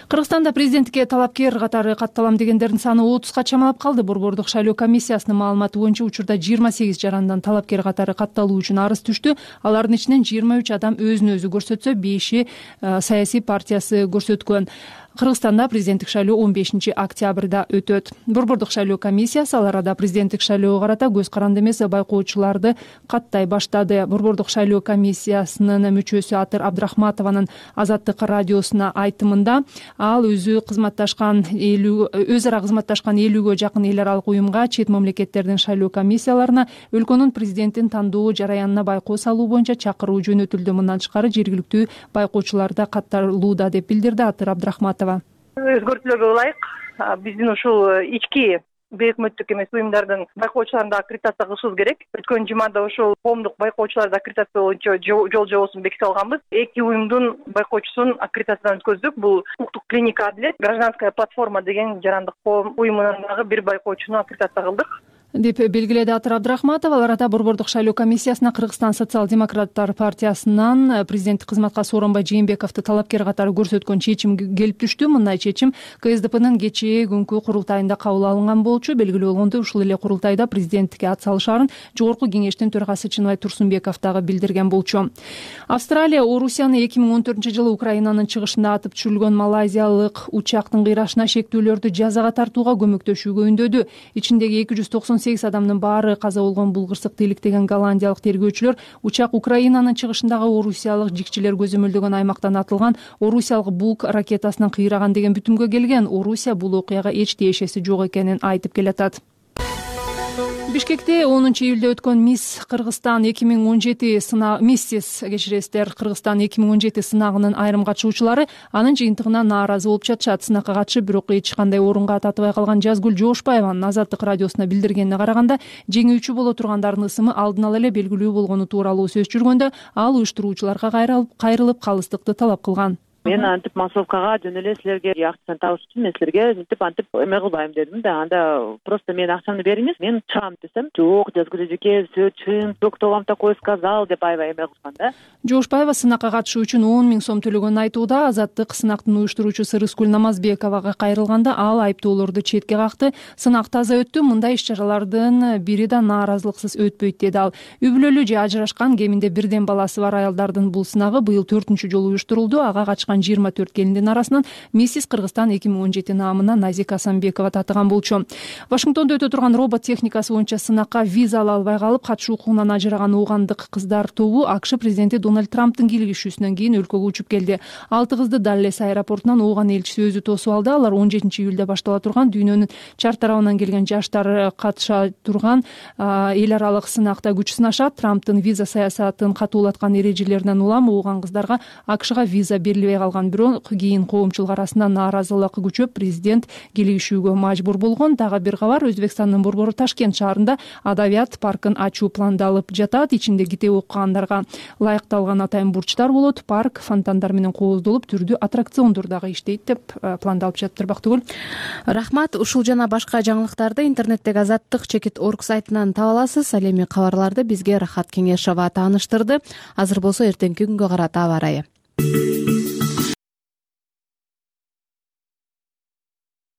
Кыргызстанда президенттикке талапкер катары катталам дегендердин саны отузга чамалап калды. Борбордук шайлоо комиссиясынын маалыматы боюнча учурда жыйырма сегиз жарандан талапкер катары катталуу үчүн арыз түштү. Алардын ичинен жыйырма үч адам өзүн өзү көрсөтсө, беши саясий партиясы көрсөткөн. Кыргызстанда президенттик шайлоо он бешинчи октябрда өтөт. Борбордук шайлоо комиссиясы ал арада президенттик шайлоого карата көз каранды эмес байкоочуларды каттай баштады. Борбордук шайлоо комиссиясынын мүчөсү Атыр Абдрахматованын Азаттык радиосуна айтымында ал өзү кызматташкан өз ара кызматташкан элүүгө жакын эл аралык уюмга, чет мамлекеттердин шайлоо комиссияларына өлкөнүн президентин тандоо жараянына байкоо салуу боюнча чакыруу жөнөтүлдү. Мындан тышкары жергиликтүү байкоочулар да катталууда деп билдирди Атыр Абдрахматова. Өзгөртүүлөргө ылайык биздин ушул ички бейөкмөттүк эмес уюмдардын байкоочуларын да аккредитация кылышыбыз керек. Өткөн жумада ошол коомдук байкоочуларды аккредитация боюнча жол жобосун беките алганбыз. Эки уюмдун байкоочусун аккредитациядан өткөздүк. Бул укуктук клиника Адилет, гражданская платформа деген жарандык коом уюмунан дагы бир байкоочуну аккредитация кылдык деп белгиледи Атыр Абдрахматова. Ал арада Борбордук шайлоо комиссиясына Кыргызстан социал-демократтар партиясынан президенттик кызматка Сооронбай Жээнбековду талапкер катары көрсөткөн чечим келип түштү. Мындай чечим КСДПнын кечээ күнкү курултайында кабыл алынган болчу. Белгилүү болгондой, ушул эле курултайда президенттикке ат салышаарын Жогорку кеңештин төрагасы Чыныбай Турсунбеков дагы билдирген болчу. Австралия Орусияны эки миң он төртүнчү жылы Украинанын чыгышында атып түшүрүлгөн малайзиялык учактын кыйрашына шектүүлөрдү жазага тартууга көмөктөшүүгө үндөдү. Ичиндеги эки жүз токсон сегиз адамдын баары каза болгон. Бул кырсыкты иликтеген голландиялык тергөөчүлөр учак Украинанын чыгышындагы орусиялык жикчилер көзөмөлдөгөн аймактан атылган орусиялык Бук ракетасынан кыйраган деген бүтүмгө келген. Орусия бул окуяга эч тиешеси жок экенин айтып келатат. Бишкекте онунчу июлда өткөн мисс Кыргызстан эки миң он жети сынагы миссис кечиресиздер Кыргызстан эки миң он жети сынагынын айрым катышуучулары анын жыйынтыгына нааразы болуп жатышат. Сынакка катышып, бирок эч кандай орунга татыбай калган Жазгүл Жоошбаеванын Азаттык радиосуна билдиргенине караганда, жеңүүчү боло тургандардын ысымы алдын ала эле белгилүү болгону тууралуу сөз жүргөндө, ал уюштуруучуларга кайрылып калыстыкты талап кылган. Мен антип массовкага жөн эле силерге акчаны табыш үчүн мен силерге мынтип антип эме кылбайм дедим да. Анда просто мен акчамды бериңиз, мен чыгам десем, жок, Жазгүл эжеке, все чын, кто вам такое сказал деп аябай эме кылган да. Жоошбаева сынакка катышуу үчүн он миң сом төлөгөнүн айтууда. Азаттык сынактын уюштуруучусу Рыскүл Намазбековага кайрылганда, ал айыптоолорду четке какты. Сынак таза өттү, мындай иш-чаралардын бири да нааразылыксыз өтпөйт деди ал. Үй бүлөлүү же ажырашкан, кеминде бирден баласы бар аялдардын бул сынагы быйыл төртүнчү жолу уюштурулду. Ага катышкан жыйырма төрт келиндин арасынан миссис Кыргызстан эки миң он жети наамына Назика Асанбекова татыган болчу. Вашингтондо өтө турган робот техникасы боюнча сынакка виза ала албай калып, катышуу укугунан ажыраган уугандык кыздар тобу АКШ президенти Дональд Трамптын кийлигишүүсүнөн кийин өлкөгө учуп келди. Алты кызды Даллес аэропортунан ууган элчиси өзү тосуп алды. Алар он жетинчи июлда баштала турган дүйнөнүн чар тарабынан келген жаштар катыша турган эл аралык сынакта күч сынашат. Трамптын виза саясатын катуулаткан эрежелеринен улам ууган кыздарга АКШга виза берилбей калган. Бирок кийин коомчулук арасында нааразылык күчөп, президент кийлигишүүгө мажбур болгон. Дагы бир кабар, Өзбекстандын борбору Ташкент шаарында адабият паркын ачуу пландалып жатат. Ичинде китеп окугандарга ылайыкталган атайын бурчтар болот. Парк фонтандар менен кооздолуп, түрдүү аттракциондор дагы иштейт деп пландалып жатыр. Бактыгүл. Рахмат. Ушул жана башка жаңылыктарды интернеттеги азаттык чекит орг сайтынан таба аласыз. Ал эми кабарларды бизге Рахат Кеңешова тааныштырды. Азыр болсо эртеңки күнгө карата аба ырайы.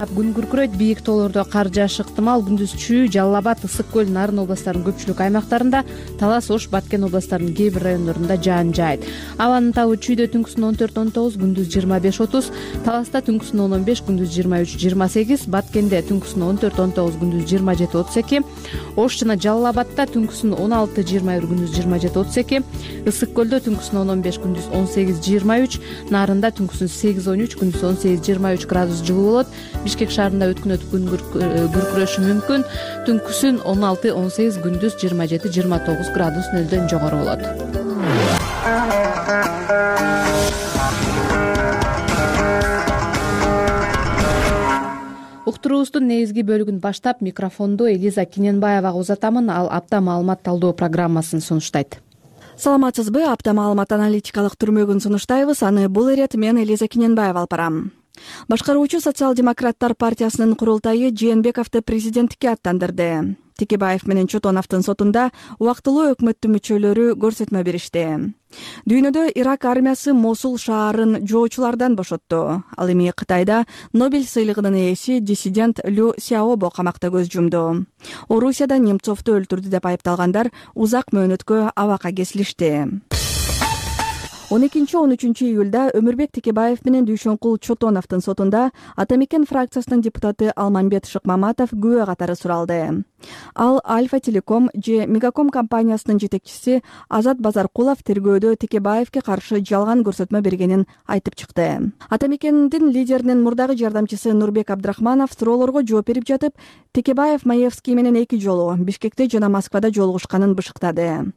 Күн күркүрөйт, бийик тоолордо кар жаашы ыктымал. Күндүз Чүй, Жалал Абад, Ысык көл, Нарын областтарынын көпчүлүк аймактарында, Талас, Ош, Баткен областтарынын кээ бир райондорунда жаан жаайт. Абанын табы Чүйдө түнкүсүн он төрт он тогуз, күндүз жыйырма беш отуз, Таласта түнкүсүн он он беш, күндүз жыйырма үч жыйырма сегиз, Баткенде түнкүсүн он төрт он тогуз, күндүз жыйырма жети отуз эки, Ош жана Жалал Абадта түнкүсүн он алты жыйырма бир, күндүз жыйырма жети отуз эки, Ысык көлдө түнкүсүн он он беш, күндүз он сегиз жыйырма үч, Нарында түнкүсүн сегиз он үч, күндүз он сегиз жыйырма үч градус жылуу болот. Бишкек шаарында өткүнөт күн күркүрөшү мүмкүн. Түнкүсүн он алты он сегиз, күндүз жыйырма жети жыйырма тогуз градус нөлдөн жогору болот. Уктуруубуздун негизги бөлүгүн баштап, микрофонду Элиза Киненбаевага узатамын. Ал апта маалымат талдоо программасын сунуштайт. Саламатсызбы? Апта маалымат аналитикалык түрмөгүн сунуштайбыз. Аны бул ирет мен Элиза Киненбаева алып барам. Башкаруучу социал-демократтар партиясынын курултайы Жээнбековду президенттикке аттандырды. Текебаев менен Чотоновдун сотунда убактылуу өкмөттүн мүчөлөрү көрсөтмө беришти. Дүйнөдө Ирак армиясы Мосул шаарын жоочулардан бошотту. Ал эми Кытайда Нобель сыйлыгынын ээси диссидент Лю Сяобо камакта көз жумду. Орусияда Немцовду өлтүрдү деп айыпталгандар узак мөөнөткө абакка кесилишти. он экинчи он үчүнчү июлда Өмүрбек Текебаев менен Дүйшөнкул Чотоновдун сотунда Атамекен фракциясынын депутаты Алмамбет Шыкмаматов күбө катары суралды. Ал Альфа Телеком же Мегаком компаниясынын жетекчиси Азат Базаркулов тергөөдө Текебаевке каршы жалган көрсөтмө бергенин айтып чыкты. Атамекендин лидеринин мурдагы жардамчысы Нурбек Абдрахманов суроолорго жооп берип жатып, Текебаев Маевский менен эки жолу Бишкекте жана Москвада жолугушканын бышыктады.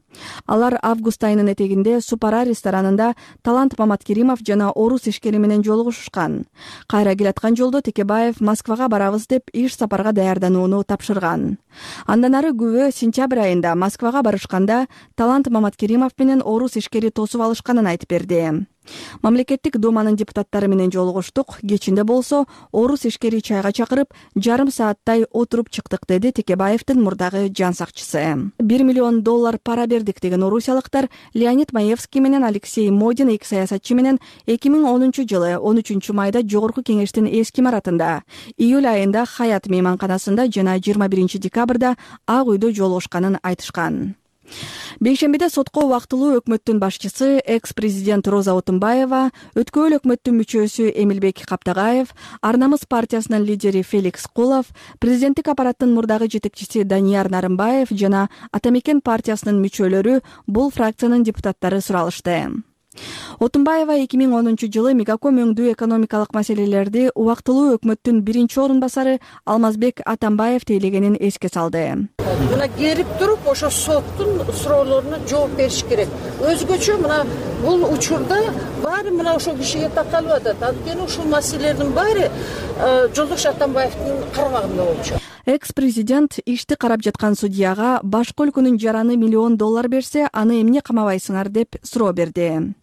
Алар август айынын этегинде Супара ресторанында Талант Маматкеримов жана орус ишкери менен жолугушушкан. Кайра келаткан жолдо Текебаев Москвага барабыз деп иш сапарга даярданууну тапшырган. Андан ары күбө сентябрь айында Москвага барышканда Талант Маматкеримов менен орус ишкери тосуп алышканын айтып берди. Мамлекеттик думанын депутаттары менен жолугуштук. Кечинде болсо орус ишкери чайга чакырып, жарым сааттай отуруп чыктык, деди Текебаевдин мурдагы жан сакчысы. бир миллион доллар пара бердик деген орусиялыктар Леонид Маевский менен Алексей Модин эки саясатчы менен эки миң онунчу жылы он үчүнчү майда Жогорку кеңештин эски имаратында, июль айында Хаят мейманканасында жана жыйырма биринчи декабрда Ак үйдө жолугушканын айтышкан. Бейшембиде сотко убактылуу өкмөттүн башчысы экс-президент Роза Отунбаева, өткөн өкмөттүн мүчөсү Эмилбек Каптагаев, Ар намыс партиясынын лидери Феликс Кулов, президенттик аппараттын мурдагы жетекчиси Данияр Нарымбаев жана Атамекен партиясынын мүчөлөрү бул фракциянын депутаттары суралышты. Отунбаева эки миң онунчу жылы Мегаком өңдүү экономикалык маселелерди убактылуу өкмөттүн биринчи орун басары Алмазбек Атамбаев тейлегенин эске салды. Мына келип туруп ошо соттун суроолоруна жооп бериш керек. Өзгөчө мына бул учурда баары мына ошол кишиге такалып атат. Анткени ушул маселелердин баары Жолдош Атамбаевдин кармагында болчу. Экс-президент ишти карап жаткан судьяга башка өлкөнүн жараны миллион доллар берсе, аны эмне камабайсыңар деп суроо берди.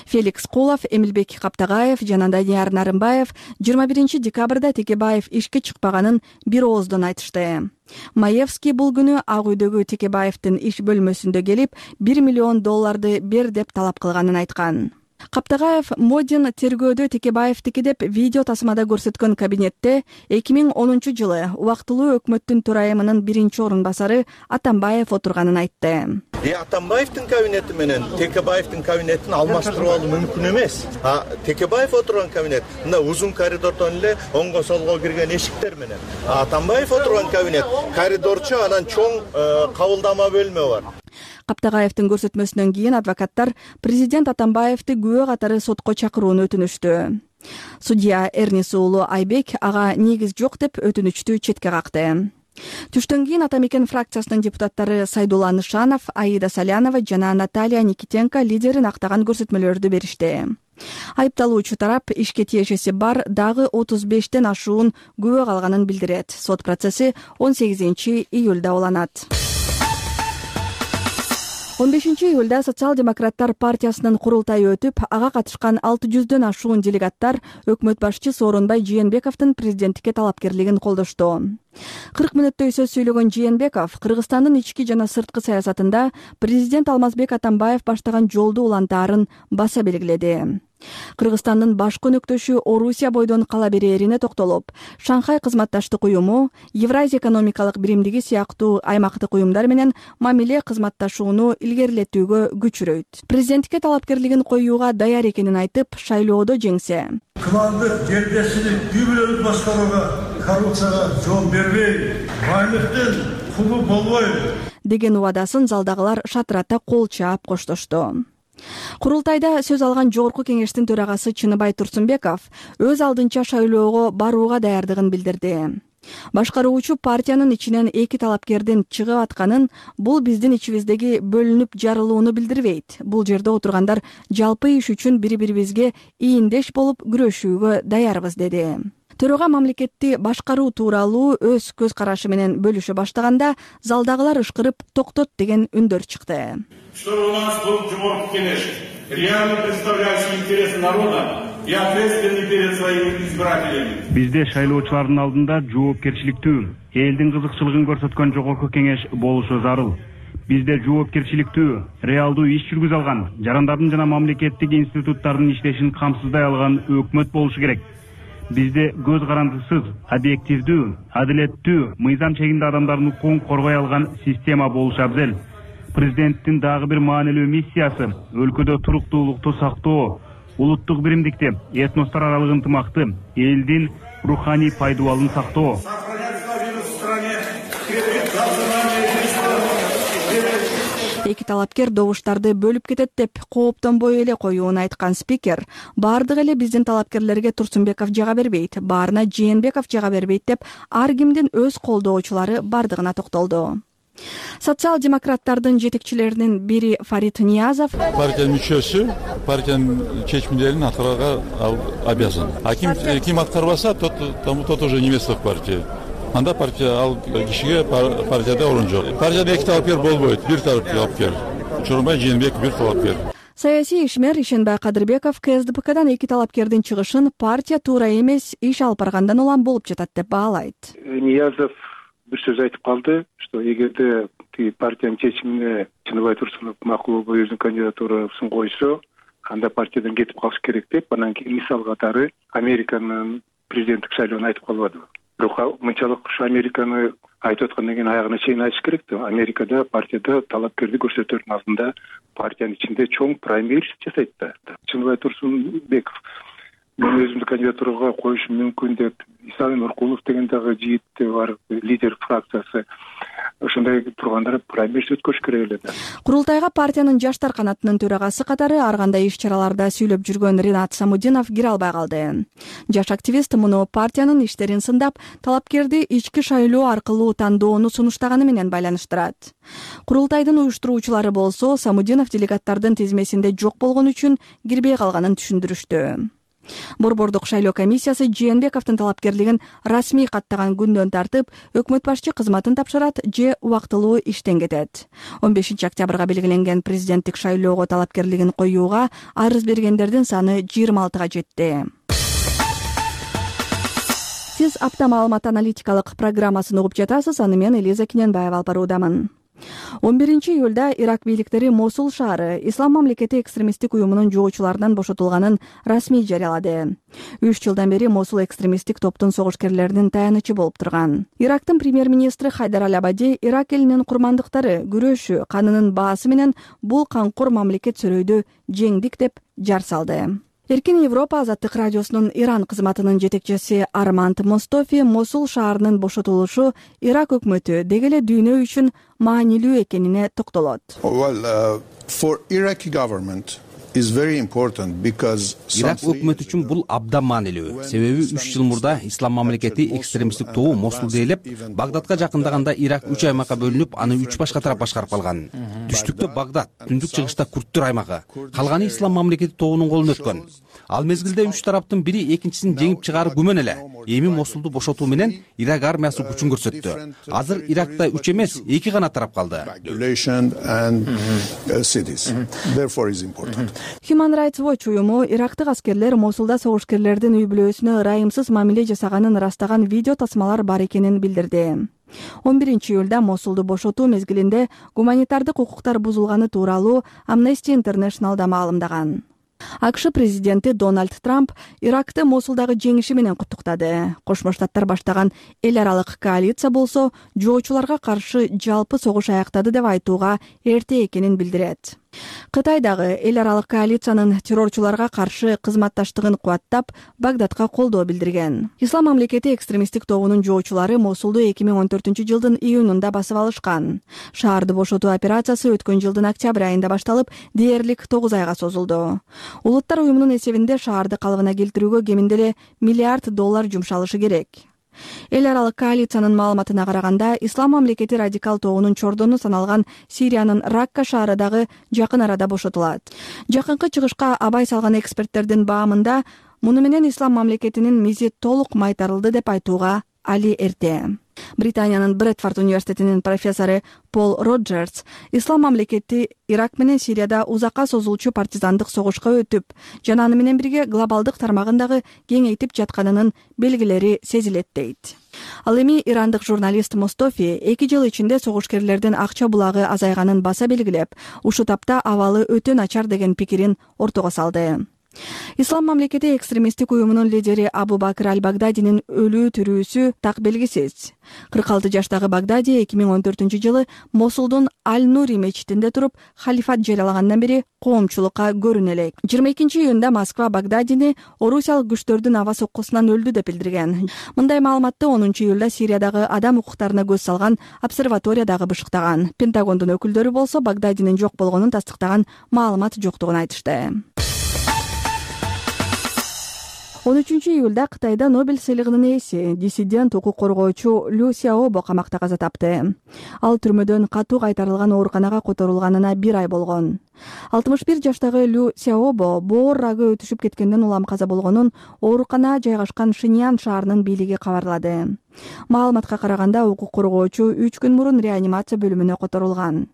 Феликс Кулов, Эмилбек Каптагаев жана Данияр Нарымбаев жыйырма биринчи декабрда Текебаев ишке чыкпаганын бир ооздон айтышты. Маевский бул күнү Ак үйдөгү Текебаевдин иш бөлмөсүндө келип бир миллион долларды бер деп талап кылганын айткан. Каптагаев Модин тергөөдө Текебаевдики деп видео тасмада көрсөткөн кабинетте эки миң онунчу жылы убактылуу өкмөттүн төрайымынын биринчи орун басары Атамбаев отурганын айтты. Е Атамбаевдин кабинети менен Текебаевдин кабинетин алмаштырып алуу мүмкүн эмес. А Текебаев отурган кабинет мына узун коридордон эле оңго солго кирген эшиктер менен. А Атамбаев отурган кабинет коридорчу, анан чоң кабылдама бөлмө бар. Каптагаевдин көрсөтмөсүнөн кийин адвокаттар президент Атамбаевди күбө катары сотко чакырууну өтүнүштү. Судья Эрнис уулу Айбек ага негиз жок деп өтүнүчтү четке какты. Түштөн кийин Атамекен фракциясынын депутаттары Сайдулла Нышанов, Аида Салянова жана Наталья Никитенко лидерин актаган көрсөтмөлөрдү беришти. Айыпталуучу тарап ишке тиешеси бар дагы отуз бештен ашуун күбө калганын билдирет. Сот процесси он сегизинчи июлда уланат. он бешинчи июлда Социал-демократтар партиясынын курултайы өтүп, ага катышкан алты жүздөн ашуун делегаттар өкмөт башчы Сооронбай Жээнбековдун президенттикке талапкерлигин колдошту. кырк мүнөттөй сөз сүйлөгөн Жээнбеков Кыргызстандын ички жана сырткы саясатында президент Алмазбек Атамбаев баштаган жолду улантаарын баса белгиледи. Кыргызстандын баш көнөктөшү Орусия бойдон кала берээрине токтолуп, Шанхай кызматташтык уюму, Евразия экономикалык биримдиги сыяктуу аймактык уюмдар менен мамиле кызматташууну илгерилетүүгө күчүрөйт. Президенттикке талапкерлигин коюуга даяр экенин айтып, шайлоодо жеңсе, Кымалдык жердешилик үй-бүлөлүк башкарууга, коррупцияга жол бербей, байлыктын кулу болбой деген убадасын залдагылар шатырата кол чаап коштошту. Курултайда сөз алган жогорку кеңештин төрагасы Чыныбай Турсунбеков өз алдынча шайлоого барууга даярдыгын билдирди. Башкаруучу партиянын ичинен эки талапкердин чыгып атканын, бул биздин ичибиздеги бөлүнүп жарылууну билдирбейт. Бул жерде отургандар жалпы иш үчүн бири-бирибизге ийиндеш болуп күрөшүүгө даярбыз деди. Төрага мамлекетти башкаруу тууралуу өз көз карашы менен бөлүшө баштаганда залдагылар ышкырып токтот деген үндөр чыкты. Что у нас был жогорку кеңеш реально представляющий интересы народа и ответственный перед своими избирателями. Бизде шайлоочулардын алдында жоопкерчиликтүү, элдин кызыкчылыгын көрсөткөн жогорку кеңеш болушу зарыл. Бизде жоопкерчиликтүү, реалдуу иш жүргүзө алган, жарандардын жана мамлекеттик институттардын иштешин камсыздай алган өкмөт болушу керек. Бизде көз карандысыз, объективдүү, адилеттүү, мыйзам чегинде адамдардын укугун коргой алган система болушу абзел. Президенттин дагы бир маанилүү миссиясы өлкөдө туруктуулукту сактоо, улуттук биримдикти, этностор аралык ынтымакты, элдин руханий пайдубалын сактоо. Эки талапкер добуштарды бөлүп кетет деп кооптонбой эле коюун айткан спикер, бардыгы эле биздин талапкерлерге Турсунбеков жага бербейт, баарына Жээнбеков жага бербейт деп ар кимдин өз колдоочулары бардыгына токтолду. Социал-демократтардын жетекчилеринин бири Фарид Ниязов партиянын мүчөсү партиянын чечимдерин аткарууга обязан. А ким ким аткарбаса, тот тот уже не место в партии. Анда партия ал кишиге партияда орун жок. Партияда эки талапкер болбойт, бир талапкер. Сооронбай Жээнбеков бир талапкер. Саясий ишмер Ишенбай Кадырбеков КСДПКдан эки талапкердин чыгышын партия туура эмес, иш алып баргандан улам болуп жатат деп баалайт. Ниязов бир сөз айтып калды, что эгерде партиянын чечимине Чыныбай Турсунов макул болуп өзүнүн кандидатурасын койсо, анда партиядан кетип калыш керек деп, анан кийин мисал катары Американын президенттик шайлоонун айтып калбадыбы. Бирок мынчалык ушу Американы айтып аткандан кийин аягына чейин айтыш керек да. Америкада партияда талапкерди көрсөтөрдүн алдында партиянын ичинде чоң праймерис жасайт да. Чыныбай Турсунбеков мен өзүмдү кандидатурага коюшум мүмкүн деп, Исаим Нуркулов деген дагы жигит бар, лидер фракциясы ошондой турганда праймерис өткөрүш керек эле да. Курултайга партиянын жаштар канатынын төрагасы катары ар кандай иш чараларда сүйлөп жүргөн Ринат Самудинов кире албай калды. Жаш активист муну партиянын иштерин сындап, талапкерди ички шайлоо аркылуу тандоону сунуштаганы менен байланыштырат. Курултайдын уюштуруучулары болсо Самудинов делегаттардын тизмесинде жок болгон үчүн кирбей калганын түшүндүрүштү. Борбордук шайлоо комиссиясы Жээнбековдун талапкерлигин расмий каттаган күндөн тартып, өкмөт башчы кызматын тапшырат же убактылуу иштен кетет. он бешинчи октябрга белгиленген президенттик шайлоого талапкерлигин коюуга арыз бергендердин саны жыйырма алтыга жетти. Сиз апта маалымат аналитикалык программасын угуп жатасыз, аны мен Элиза Кененбаева алып баруудамын. он биринчи июлда Ирак бийликтери Мосул шаары Ислам мамлекети экстремисттик уюмунун жоочуларынан бошотулганын расмий жарыялады. үч жылдан бери Мосул экстремисттик топтун согушкерлеринин таянычы болуп турган. Ирактын премьер-министри Хайдар Аль-Абади Ирак элинин курмандыктары күрөшү канынын баасы менен бул канкор мамлекет сөрөйдү жеңдик деп жар салды. Эркин Европа азаттык радиосунун Иран кызматынын жетекчиси Арманд Мостофи Мосул шаарынын бошотулушу Ирак өкмөтү деги эле дүйнө үчүн маанилүү экенине токтолот. Ирак өкмөтү үчүн бул абдан маанилүү. Себеби үч жыл мурда Ислам мамлекети экстремисттик тобу Мосулду ээлеп, Багдадка жакындаганда Ирак үч аймакка бөлүнүп, аны үч башка тарап башкарып калган. Түштүктө Багдад, түндүк чыгышта Курдтур аймагы, калганы Ислам мамлекети тобунун колуна өткөн. Ал мезгилде үч тараптын бири экинчисин жеңип чыгаары күмөн эле. Эми Мосулду бошотуу менен Ирак армиясы күчүн көрсөттү. Азыр Иракта үч эмес, эки гана тарап калды. Human Rights Watch уюму ирактык аскерлер Мосулда согушкерлердин үй бүлөсүнө ырайымсыз мамиле жасаганын ырастаган видео тасмалар бар экенин билдирди. он биринчи июлда Мосулду бошотуу мезгилинде гуманитардык укуктар бузулганы тууралуу Amnesty International да маалымдаган. АКШ президенти Дональд Трамп Иракты Мосулдагы жеңиши менен куттуктады. Кошмо Штаттар баштаган эл аралык коалиция болсо жоочуларга каршы жалпы согуш аяктады деп айтууга эрте экенин билдирет. Кытай дагы эл аралык коалициянын террорчуларга каршы кызматташтыгын кубаттап, Багдадка колдоо билдирген. Ислам мамлекети экстремисттик тобунун жоочулары Мосулду эки миң он төртүнчү жылдын июнунда басып алышкан. Шаарды бошотуу операциясы өткөн жылдын октябрь айында башталып, дээрлик тогуз айга созулду. Улуттар уюмунун эсебинде шаарды калыбына келтирүүгө кеминде эле миллиард доллар жумшалышы керек. Эл аралык коалициянын маалыматына караганда, Ислам мамлекети радикал тобунун чордону саналган Сириянын Ракка шаары дагы жакын арада бошотулат. Жакынкы чыгышка абай салган эксперттердин баамында, муну менен Ислам мамлекетинин мизи толук майтарылды деп айтууга али эрте. Британиянын Брэдфорд университетинин профессору Пол Роджерс Ислам мамлекети Ирак менен Сирияда узакка созулчу партизандык согушка өтүп, жана аны менен бирге глобалдык тармагындагы кеңейтип жатканынын белгилери сезилет дейт. Ал эми ирандык журналист Мостофи эки жыл ичинде согушкерлердин акча булагы азайганын баса белгилеп, ушул тапта абалы өтө начар деген пикирин ортого салды. Ислам мамлекети экстремисттик уюмунун лидери Абу Бакр Аль-Багдадинин өлүү тирүүсү так белгисиз. кырк алты жаштагы Багдади эки миң он төртүнчү жылы Мосулдун Аль-Нури мечитинде туруп халифат жарыялагандан бери коомчулукка көрүнө элек. жыйырма экинчи июнда Москва Багдадини орусиялык күчтөрдүн аба соккусунан өлдү деп билдирген. Мындай маалыматты онунчу июлда Сириядагы адам укуктарына көз салган обсерваториядагы бышыктаган. Пентагондун өкүлдөрү болсо Багдадинин жок болгонун тастыктаган маалымат жоктугун айтышты. он үчүнчү июлда Кытайда Нобель сыйлыгынын ээси, диссидент укук коргоочу Лю Сяобо камакта каза тапты. Ал түрмөдөн катуу кайтарылган ооруканага которулганына бир ай болгон. алтымыш бир жаштагы Лю Сяобо боор рагы өтүшүп кеткенден улам каза болгонун оорукана жайгашкан Шиньян шаарынын бийлиги кабарлады. Маалыматка караганда укук коргоочу үч күн мурун реанимация бөлүмүнө которулган.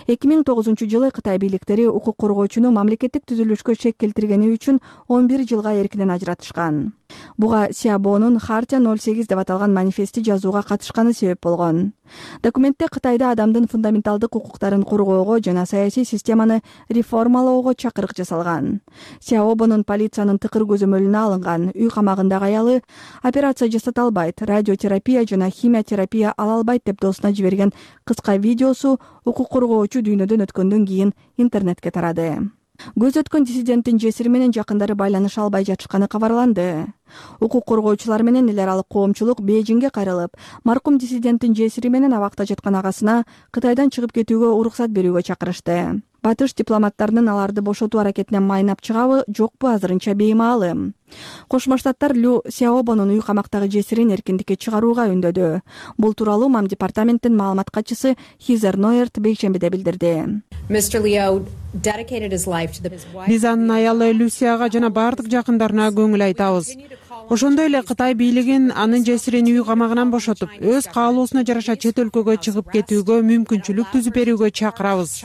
эки миң тогузунчу жылы Кытай бийликтери укук коргоочуну мамлекеттик түзүлүшкө шек келтиргени үчүн он бир жылга эркинен ажыратышкан. Буга Сиабонун Хартия ноль сегиз деп аталган манифести жазууга катышканы себеп болгон. Документте Кытайда адамдын фундаменталдык укуктарын коргоого жана саясий системаны реформалоого чакырык жасалган. Сиабонун полициянын тыкыр көзөмөлүнө алынган, үй камагындагы аялы операция жасата албайт, радиотерапия жана химия терапия ала албайт деп досуна жиберген кыска видеосу укук коргоочу дүйнөдөн өткөндөн кийин интернетке тарады. Көз өткөн диссиденттин жесири менен жакындары байланыша албай жатышканы кабарланды. Укук коргоочулар менен эл аралык коомчулук Бейжиңге кайрылып, маркум диссиденттин жесири менен абакта жаткан агасына Кытайдан чыгып кетүүгө уруксат берүүгө чакырышты. Батыш дипломаттарынын аларды бошотуу аракетинен майнап чыгабы, жокпу азырынча беймаалым. Кошмо Штаттар Лю Сяобонун үй камактагы жесирин эркиндикке чыгарууга үндөдү. Бул тууралуу МАМ департаменттин маалымат катчысы Хизер Нойерт бейшембиде билдирди. Биз анын аялы Люсияга жана бардык жакындарына көңүл айтабыз. Ошондой эле Кытай бийлигин анын жесирин үй камагынан бошотуп, өз каалоосуна жараша чет өлкөгө чыгып кетүүгө мүмкүнчүлүк түзүп берүүгө чакырабыз.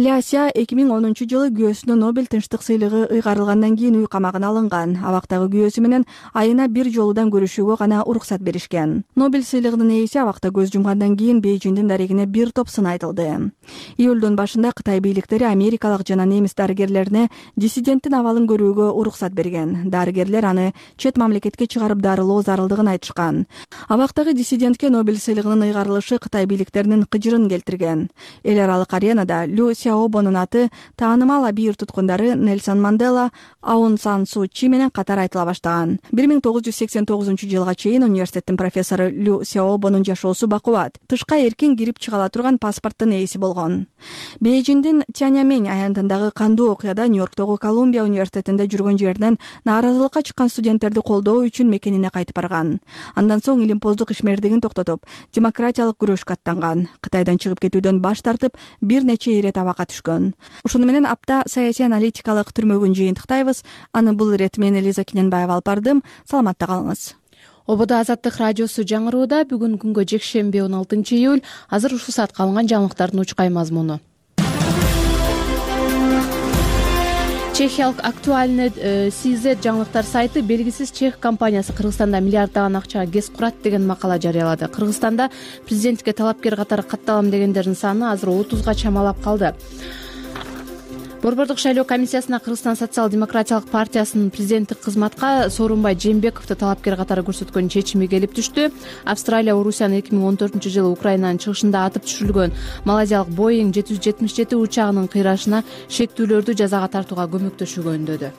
Ляся эки миң онунчу жылы күйөөсүнө Нобель тынчтык сыйлыгы ыйгарылгандан кийин үй камагына алынган. Абактагы күйөөсү менен айына бир жолудан көрүшүүгө гана уруксат беришкен. Нобель сыйлыгынын ээси абакта көз жумгандан кийин Бейжиңдин дарегине бир топ сын айтылды. Июлдун башында Кытай бийликтери америкалык жана немис дарыгерлерине диссиденттин абалын көрүүгө уруксат берген. Дарыгерлер аны чет мамлекетке чыгарып дарылоо зарылдыгын айтышкан. Абактагы диссидентке Нобель сыйлыгынын ыйгарылышы Кытай бийликтеринин кыжырын келтирген. Эл аралык аренада Лю Сяобонун аты таанымал абийир туткундары Нельсон Мандела, Аун Сан Су Чи менен катар айтыла баштаган. бир миң тогуз жүз сексен тогузунчу жылга чейин университеттин профессору Лю Сяобонун жашоосу бакубат. Тышка эркин кирип чыга ала турган паспорттун ээси болгон. Бейжиңдин Тяньаньмэнь аянтындагы кандуу окуяда Нью-Йорктогу Колумбия университетинде жүргөн жеринен нааразылыкка чыккан студенттерди колдоо үчүн мекенине кайтып барган. Андан соң илимпоздук ишмердигин токтотуп, демократиялык күрөшкө аттанган. Кытайдан чыгып кетүүдөн баш тартып, бир нече ирет абакка түшкөн. Ошону менен апта саясий аналитикалык түрмөгүн жыйынтыктайбыз. Аны бул ирет мен Элиза Кененбаева алып бардым. Саламатта калыңыз. Ободо Азаттык радиосу жаңырууда. Бүгүн күнгө жекшемби он алтынчы июль. Азыр ушул саатка алынган жаңылыктардын учкай мазмуну. Чехиялык актуальный си зет жаңылыктар сайты белгисиз чех компаниясы Кыргызстанда миллиарддаган акчага гез курат деген макала жарыялады. Кыргызстанда президентке талапкер катары катталам дегендердин саны азыр отузга чамалап калды. Борбордук шайлоо комиссиясына Кыргызстан социал-демократиялык партиясынын президенттик кызматка Сооронбай Жээнбековду талапкер катары көрсөткөн чечими келип түштү. Австралия Орусиянын эки миң он төртүнчү жылы Украинанын чыгышында атып түшүрүлгөн Малайзиялык Боeing жети жүз жетимиш жети учагынын кыйрашына шектүүлөрдү жазага тартууга көмөктөшүүгө үндөдү.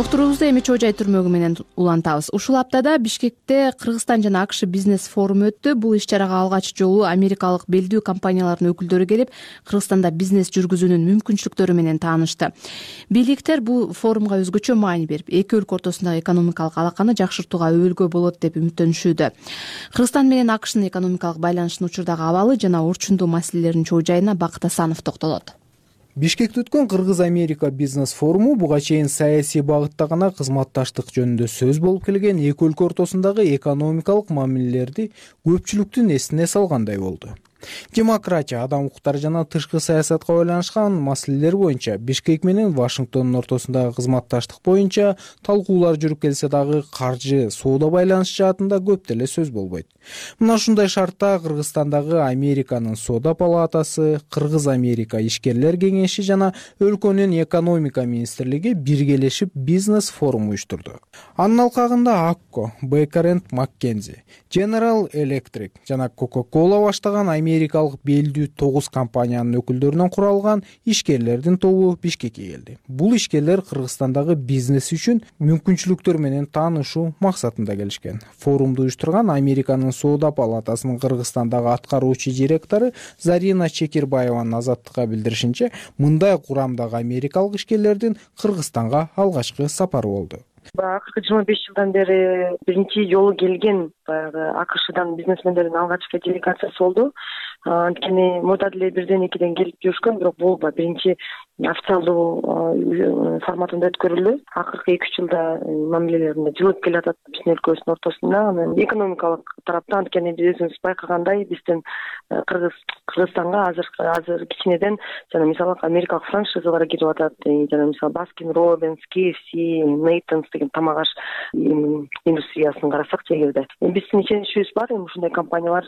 Уктуруубузду эми Чоо Жай түрмөгү менен улантабыз. Ушул аптада Бишкекте Кыргызстан жана АКШ бизнес форуму өттү. Бул иш-чарага алгач жолу америкалык белдүү компаниялардын өкүлдөрү келип, Кыргызстанда бизнес жүргүзүүнүн мүмкүнчүлүктөрү менен таанышты. Бийликтер бул форумга өзгөчө маани берип, эки өлкө ортосундагы экономикалык алаканы жакшыртууга өбөлгө болот деп үмүттөнүшүүдө. Кыргызстан менен АКШнын экономикалык байланышынын учурдагы абалы жана орчундуу маселелердин чоо жайына Бакыт Асанов токтолот. Бишкекте өткөн Кыргыз-Америка бизнес форуму буга чейин саясий багытта гана кызматташтык жөнүндө сөз болуп келген эки өлкө ортосундагы экономикалык мамилелерди көпчүлүктүн эсине салгандай болду. Демократия, адам укуктары жана тышкы саясатка байланышкан маселелер боюнча Бишкек менен Вашингтондун ортосундагы кызматташтык боюнча талкуулар жүрүп келсе дагы каржы, соода байланышы жаатында көп деле сөз болбойт. Мына ушундай шартта Кыргызстандагы Американын соода палатасы, Кыргыз-Америка ишкерлер кеңеши жана өлкөнүн экономика министрлиги биргелешип бизнес форум уюштурду. Анын алкагында Акко, Бейкер энд Маккензи, General Electric жана Coca-Cola баштаган америкалык белдүү тогуз компаниянын өкүлдөрүнөн куралган ишкерлердин тобу Бишкекке келди. Бул ишкерлер Кыргызстандагы бизнес үчүн мүмкүнчүлүктөр менен таанышуу максатында келишкен. Форумду уюштурган Американын соода палатасынын Кыргызстандагы аткаруучу директору Зарина Чекирбаеванын Азаттыкка билдиришинче, мындай курамдагы америкалык ишкерлердин Кыргызстанга алгачкы сапары болду. Акыркы жыйырма беш жылдан бери биринчи жолу келген баягы АКШдан бизнесмендердин алгачкы делегациясы болду. Анткени мурда деле бирден экиден келип жүрүшкөн, бирок бул биринчи официалдуу форматында өткөрүлдү. Акыркы эки үч жылда мамилелеринде жылып келе атат биздин өлкөбүздүн ортосунда. Анан экономикалык тараптан анткени биз өзүбүз байкагандай биздин Кыргыз Кыргызстанга азыр азыр кичинеден жана мисалы америкалык франшизалар кетип атат. Жана мисалы Baskin Robbins, K F C, Nathan's деген тамак аш индустриясын карасак чегерде. Биздин ишеничибиз бар, эми ушундай компаниялар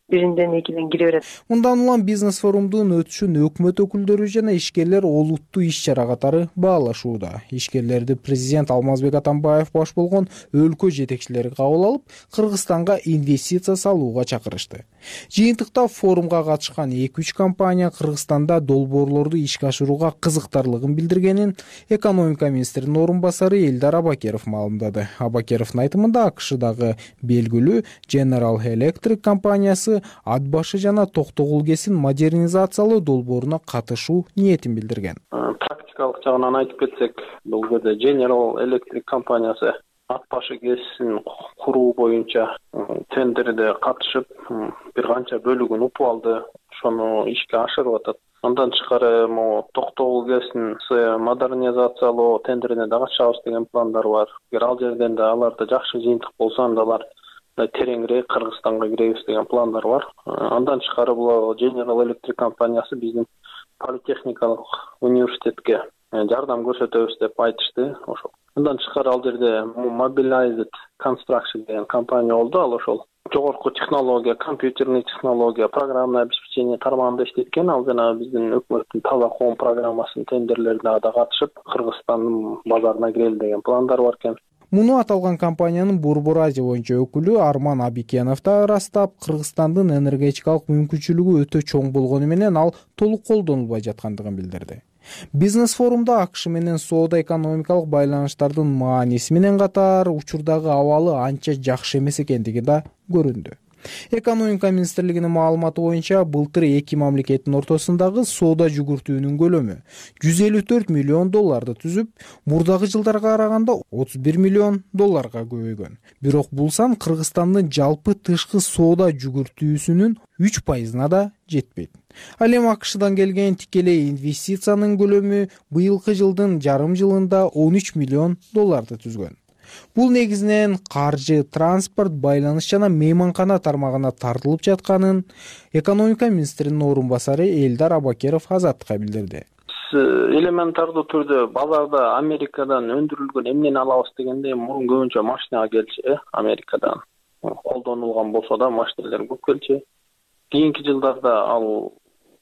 биринден экиден кире берет. Мындан улам бизнес форумдун өтүшүн өкмөт өкүлдөрү жана ишкерлер олуттуу иш-чара катары баалашууда. Ишкерлерди президент Алмазбек Атамбаев баш болгон өлкө жетекчилери кабыл алып, Кыргызстанга инвестиция салууга чакырышты. Жыйынтыкта форумга катышкан эки үч компания Кыргызстанда долбоорлорду ишке ашырууга кызыктарлыгын билдиргенин экономика министринин орун басары Элдар Абакеров маалымдады. Абакеровдун айтымында АКШдагы белгилүү General Electric компаниясы ат башы жана Токтогул КЭСин модернизациялоо долбооруна катышуу ниетин билдирген. Практикалык жагынан айтып кетсек, бул жерде General Electric компаниясы ат башы КЭСин куруу боюнча тендерде катышып, бир канча бөлүгүн упуп алды. Ошону ишке ашырып атат. Андан тышкары могу Токтогул КЭСин модернизациялоо тендерине да катышабыз деген пландар бар. Эгер ал жерден да аларда жакшы жыйынтык болсо, анда алар тереңирээк Кыргызстанга киребиз деген пландар бар. Андан тышкары бул General Electric компаниясы биздин политехникалык университетке жардам көрсөтөбүз деп айтышты. Ошол. Андан тышкары ал жерде Mobilized Construction деген компания болду. Ал ошол жогорку технология, компьютерный технология, программное обеспечение тармагында иштеткен. Ал жана биздин өкмөттүн таза коом программасынын тендерлерине да катышып, Кыргызстандын базарына кирели деген пландар бар экен. Муну аталган компаниянын Борбор Азия боюнча өкүлү Арман Абикенов да ырастап, Кыргызстандын энергетикалык мүмкүнчүлүгү өтө чоң болгону менен ал толук колдонулбай жаткандыгын билдирди. Бизнес форумда АКШ менен соода экономикалык байланыштардын мааниси менен катар учурдагы абалы анча жакшы эмес экендиги да көрүндү. Экономика министрлигинин маалыматы боюнча былтыр эки мамлекеттин ортосундагы соода жүгүртүүнүн көлөмү жүз элүү төрт миллион долларды түзүп, мурдагы жылдарга караганда отуз бир миллион долларга көбөйгөн. Бирок бул сан Кыргызстандын жалпы тышкы соода жүгүртүүсүнүн үч пайызына да жетпейт. Ал эми АКШдан келген тикелей инвестициянын көлөмү быйылкы жылдын жарым жылында он үч миллион долларды түзгөн. Бул негизинен каржы, транспорт, байланыш жана мейманкана тармагына тартылып жатканын экономика министринин орун басары Элдар Абакеров Азаттыкка билдирди. Элементардуу түрдө базарда Америкадан өндүрүлгөн эмнени алабыз дегенде мурун көбүнчө машинага келчү, Америкадан колдонулган болсо да машиналар көп келчү. Кийинки жылдарда ал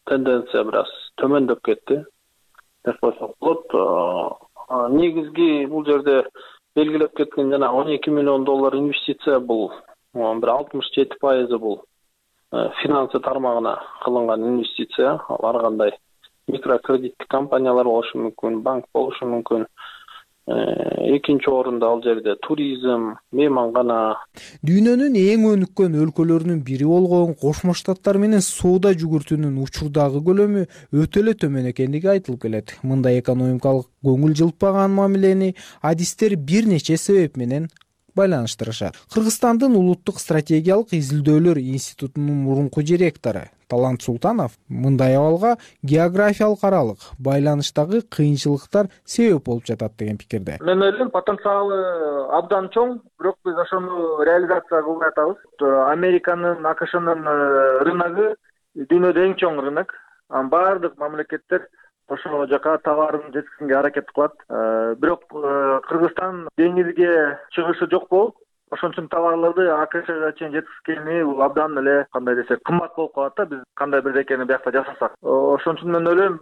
тенденция бир аз төмөндөп кетти деп койсок болот. Негизги бул жерде белгилеп кеткен жана он эки миллион доллар инвестиция бул бир алтымыш жети пайызы бул финансы тармагына кылынган инвестиция. Ар кандай микрокредиттик компаниялар болушу мүмкүн, банк болушу мүмкүн. Экинчи орунда ал жерде туризм, мейманкана. Дүйнөнүн эң өнүккөн өлкөлөрүнүн бири болгон Кошмо Штаттар менен соода жүгүртүүнүн учурдагы көлөмү өтө эле төмөн экендиги айтылып келет. Мындай экономикалык көңүл жылтпаган мамилени адистер бир нече себеп менен байланыштырышат. Кыргызстандын улуттук стратегиялык изилдөөлөр институтунун мурунку директору Талант Султанов мындай абалга географиялык аралык байланыштагы кыйынчылыктар себеп болуп жатат деген пикирде. Мен ойлойм, потенциалы абдан чоң, бирок биз ошону реализация кылбай атабыз. Американын, АКШнын рыногу дүйнөдө эң чоң рынок. Баардык мамлекеттер ошол жака товарын жеткизүүгө аракет кылат. Бирок Кыргызстан деңизге чыгышы жок болуп, ошон үчүн товарларды АКШга чейин жеткизгени бул абдан эле кандай десек кымбат болуп калат да, биз кандай бирдекени биякта жасасак. Ошон үчүн мен ойлойм,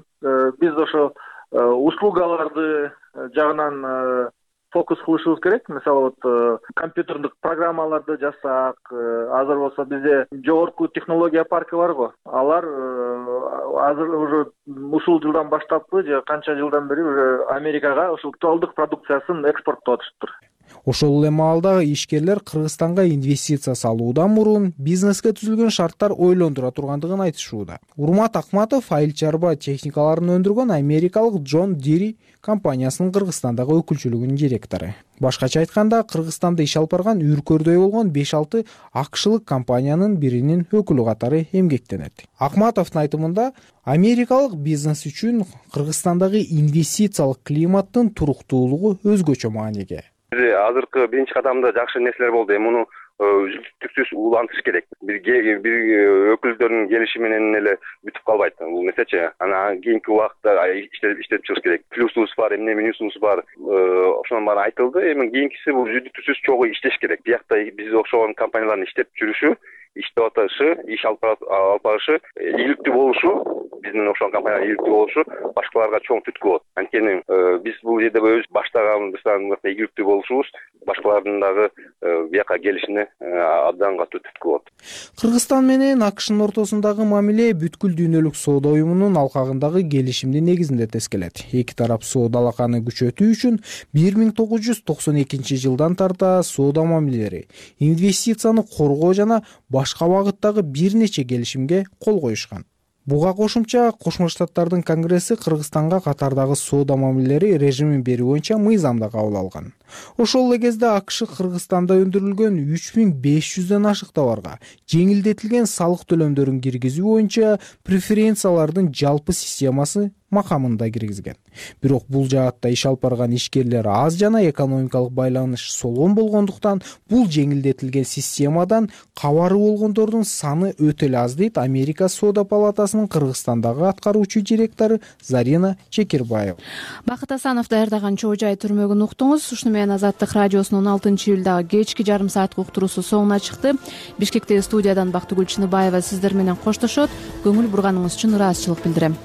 биз ошо услугаларды жагынан фокус кылышыбыз керек. Мисалы, вот компьютердик программаларды жасасак, азыр болсо бизде жогорку технология парки бар го. Алар азыр уже ушул жылдан баштаппы же канча жылдан бери уже Америкага ушул тоолдук продукциясын экспорттоп атышыптыр. Ошол эле маалда ишкерлер Кыргызстанга инвестиция салуудан мурун бизнеске түзүлгөн шарттар ойлондура тургандыгын айтышууда. Урмат Акматов айыл чарба техникаларын өндүргөн америкалык Джон Дири компаниясынын Кыргызстандагы өкүлчүлүгүнүн директору. Башкача айтканда, Кыргызстанда иш алып барган үркөрдөй болгон беш алты акшылык компаниянын биринин өкүлү катары эмгектенет. Акматовдун айтымында, америкалык бизнес үчүн Кыргызстандагы инвестициялык климаттын туруктуулугу өзгөчө мааниге. Азыркы биринчи кадамда жакшы нерселер болду. Эми муну үздүктүксүз улантыш керек. Бир бир өкүлдөрдүн келиши менен эле бүтүп калбайт. Бул нерсечи, анан кийинки убакытта иштелип иштелип чыгыш керек. Плюсубуз бар, эмне минусубуз бар. Ошонун баары айтылды. Эми кийинкиси бул үздүктүксүз чогуу иштеш керек. Биякта биз окшогон компаниялардын иштеп жүрүшү иштеп атышы, иш алып барышы, ийгиликтүү болушу, биздин окшогон компаниялар ийгиликтүү болушу башкаларга чоң түрткү болот. Анткени биз бул жерде өз баштаганыбыздан ийгиликтүү болушубуз башкалардын дагы бияка келишине абдан катуу түрткү болот. Кыргызстан менен АКШнын ортосундагы мамиле бүткүл дүйнөлүк соода уюмунун алкагындагы келишимдин негизинде тескелет. Эки тарап соода алаканы күчөтүү үчүн бир миң тогуз жүз токсон экинчи жылдан тарта соода мамилелери, инвестицияны коргоо жана башка багыттагы бир нече келишимге кол коюшкан. Буга кошумча Кошмо Штаттардын Конгресси Кыргызстанга катардагы соода мамилелери режимин берүү боюнча мыйзам да кабыл алган. Ошол эле кезде АКШ Кыргызстанда өндүрүлгөн үч миң беш жүздөн ашык товарга жеңилдетилген салык төлөмдөрүн киргизүү боюнча преференциялардын жалпы системасы макамында киргизген. Бирок бул жаатта иш алып барган ишкерлер аз жана экономикалык байланыш солгон болгондуктан бул жеңилдетилген системадан кабары болгондордун саны өтө эле аз, дейт Америка Соода палатасынын Кыргызстандагы аткаруучу директору Зарина Чекирбаева. Бакыт Асанов даярдаган Чоо Жай түрмөгүн уктуңуз. Ушуну менен Азаттык радиосунун он алтынчы июлдагы кечки жарым сааттык уктуруусу соңуна чыкты. Бишкектеги студиядан Бактыгүл Чыныбаева сиздер менен коштошот. Көңүл бурганыңыз үчүн ыраазычылык билдирем.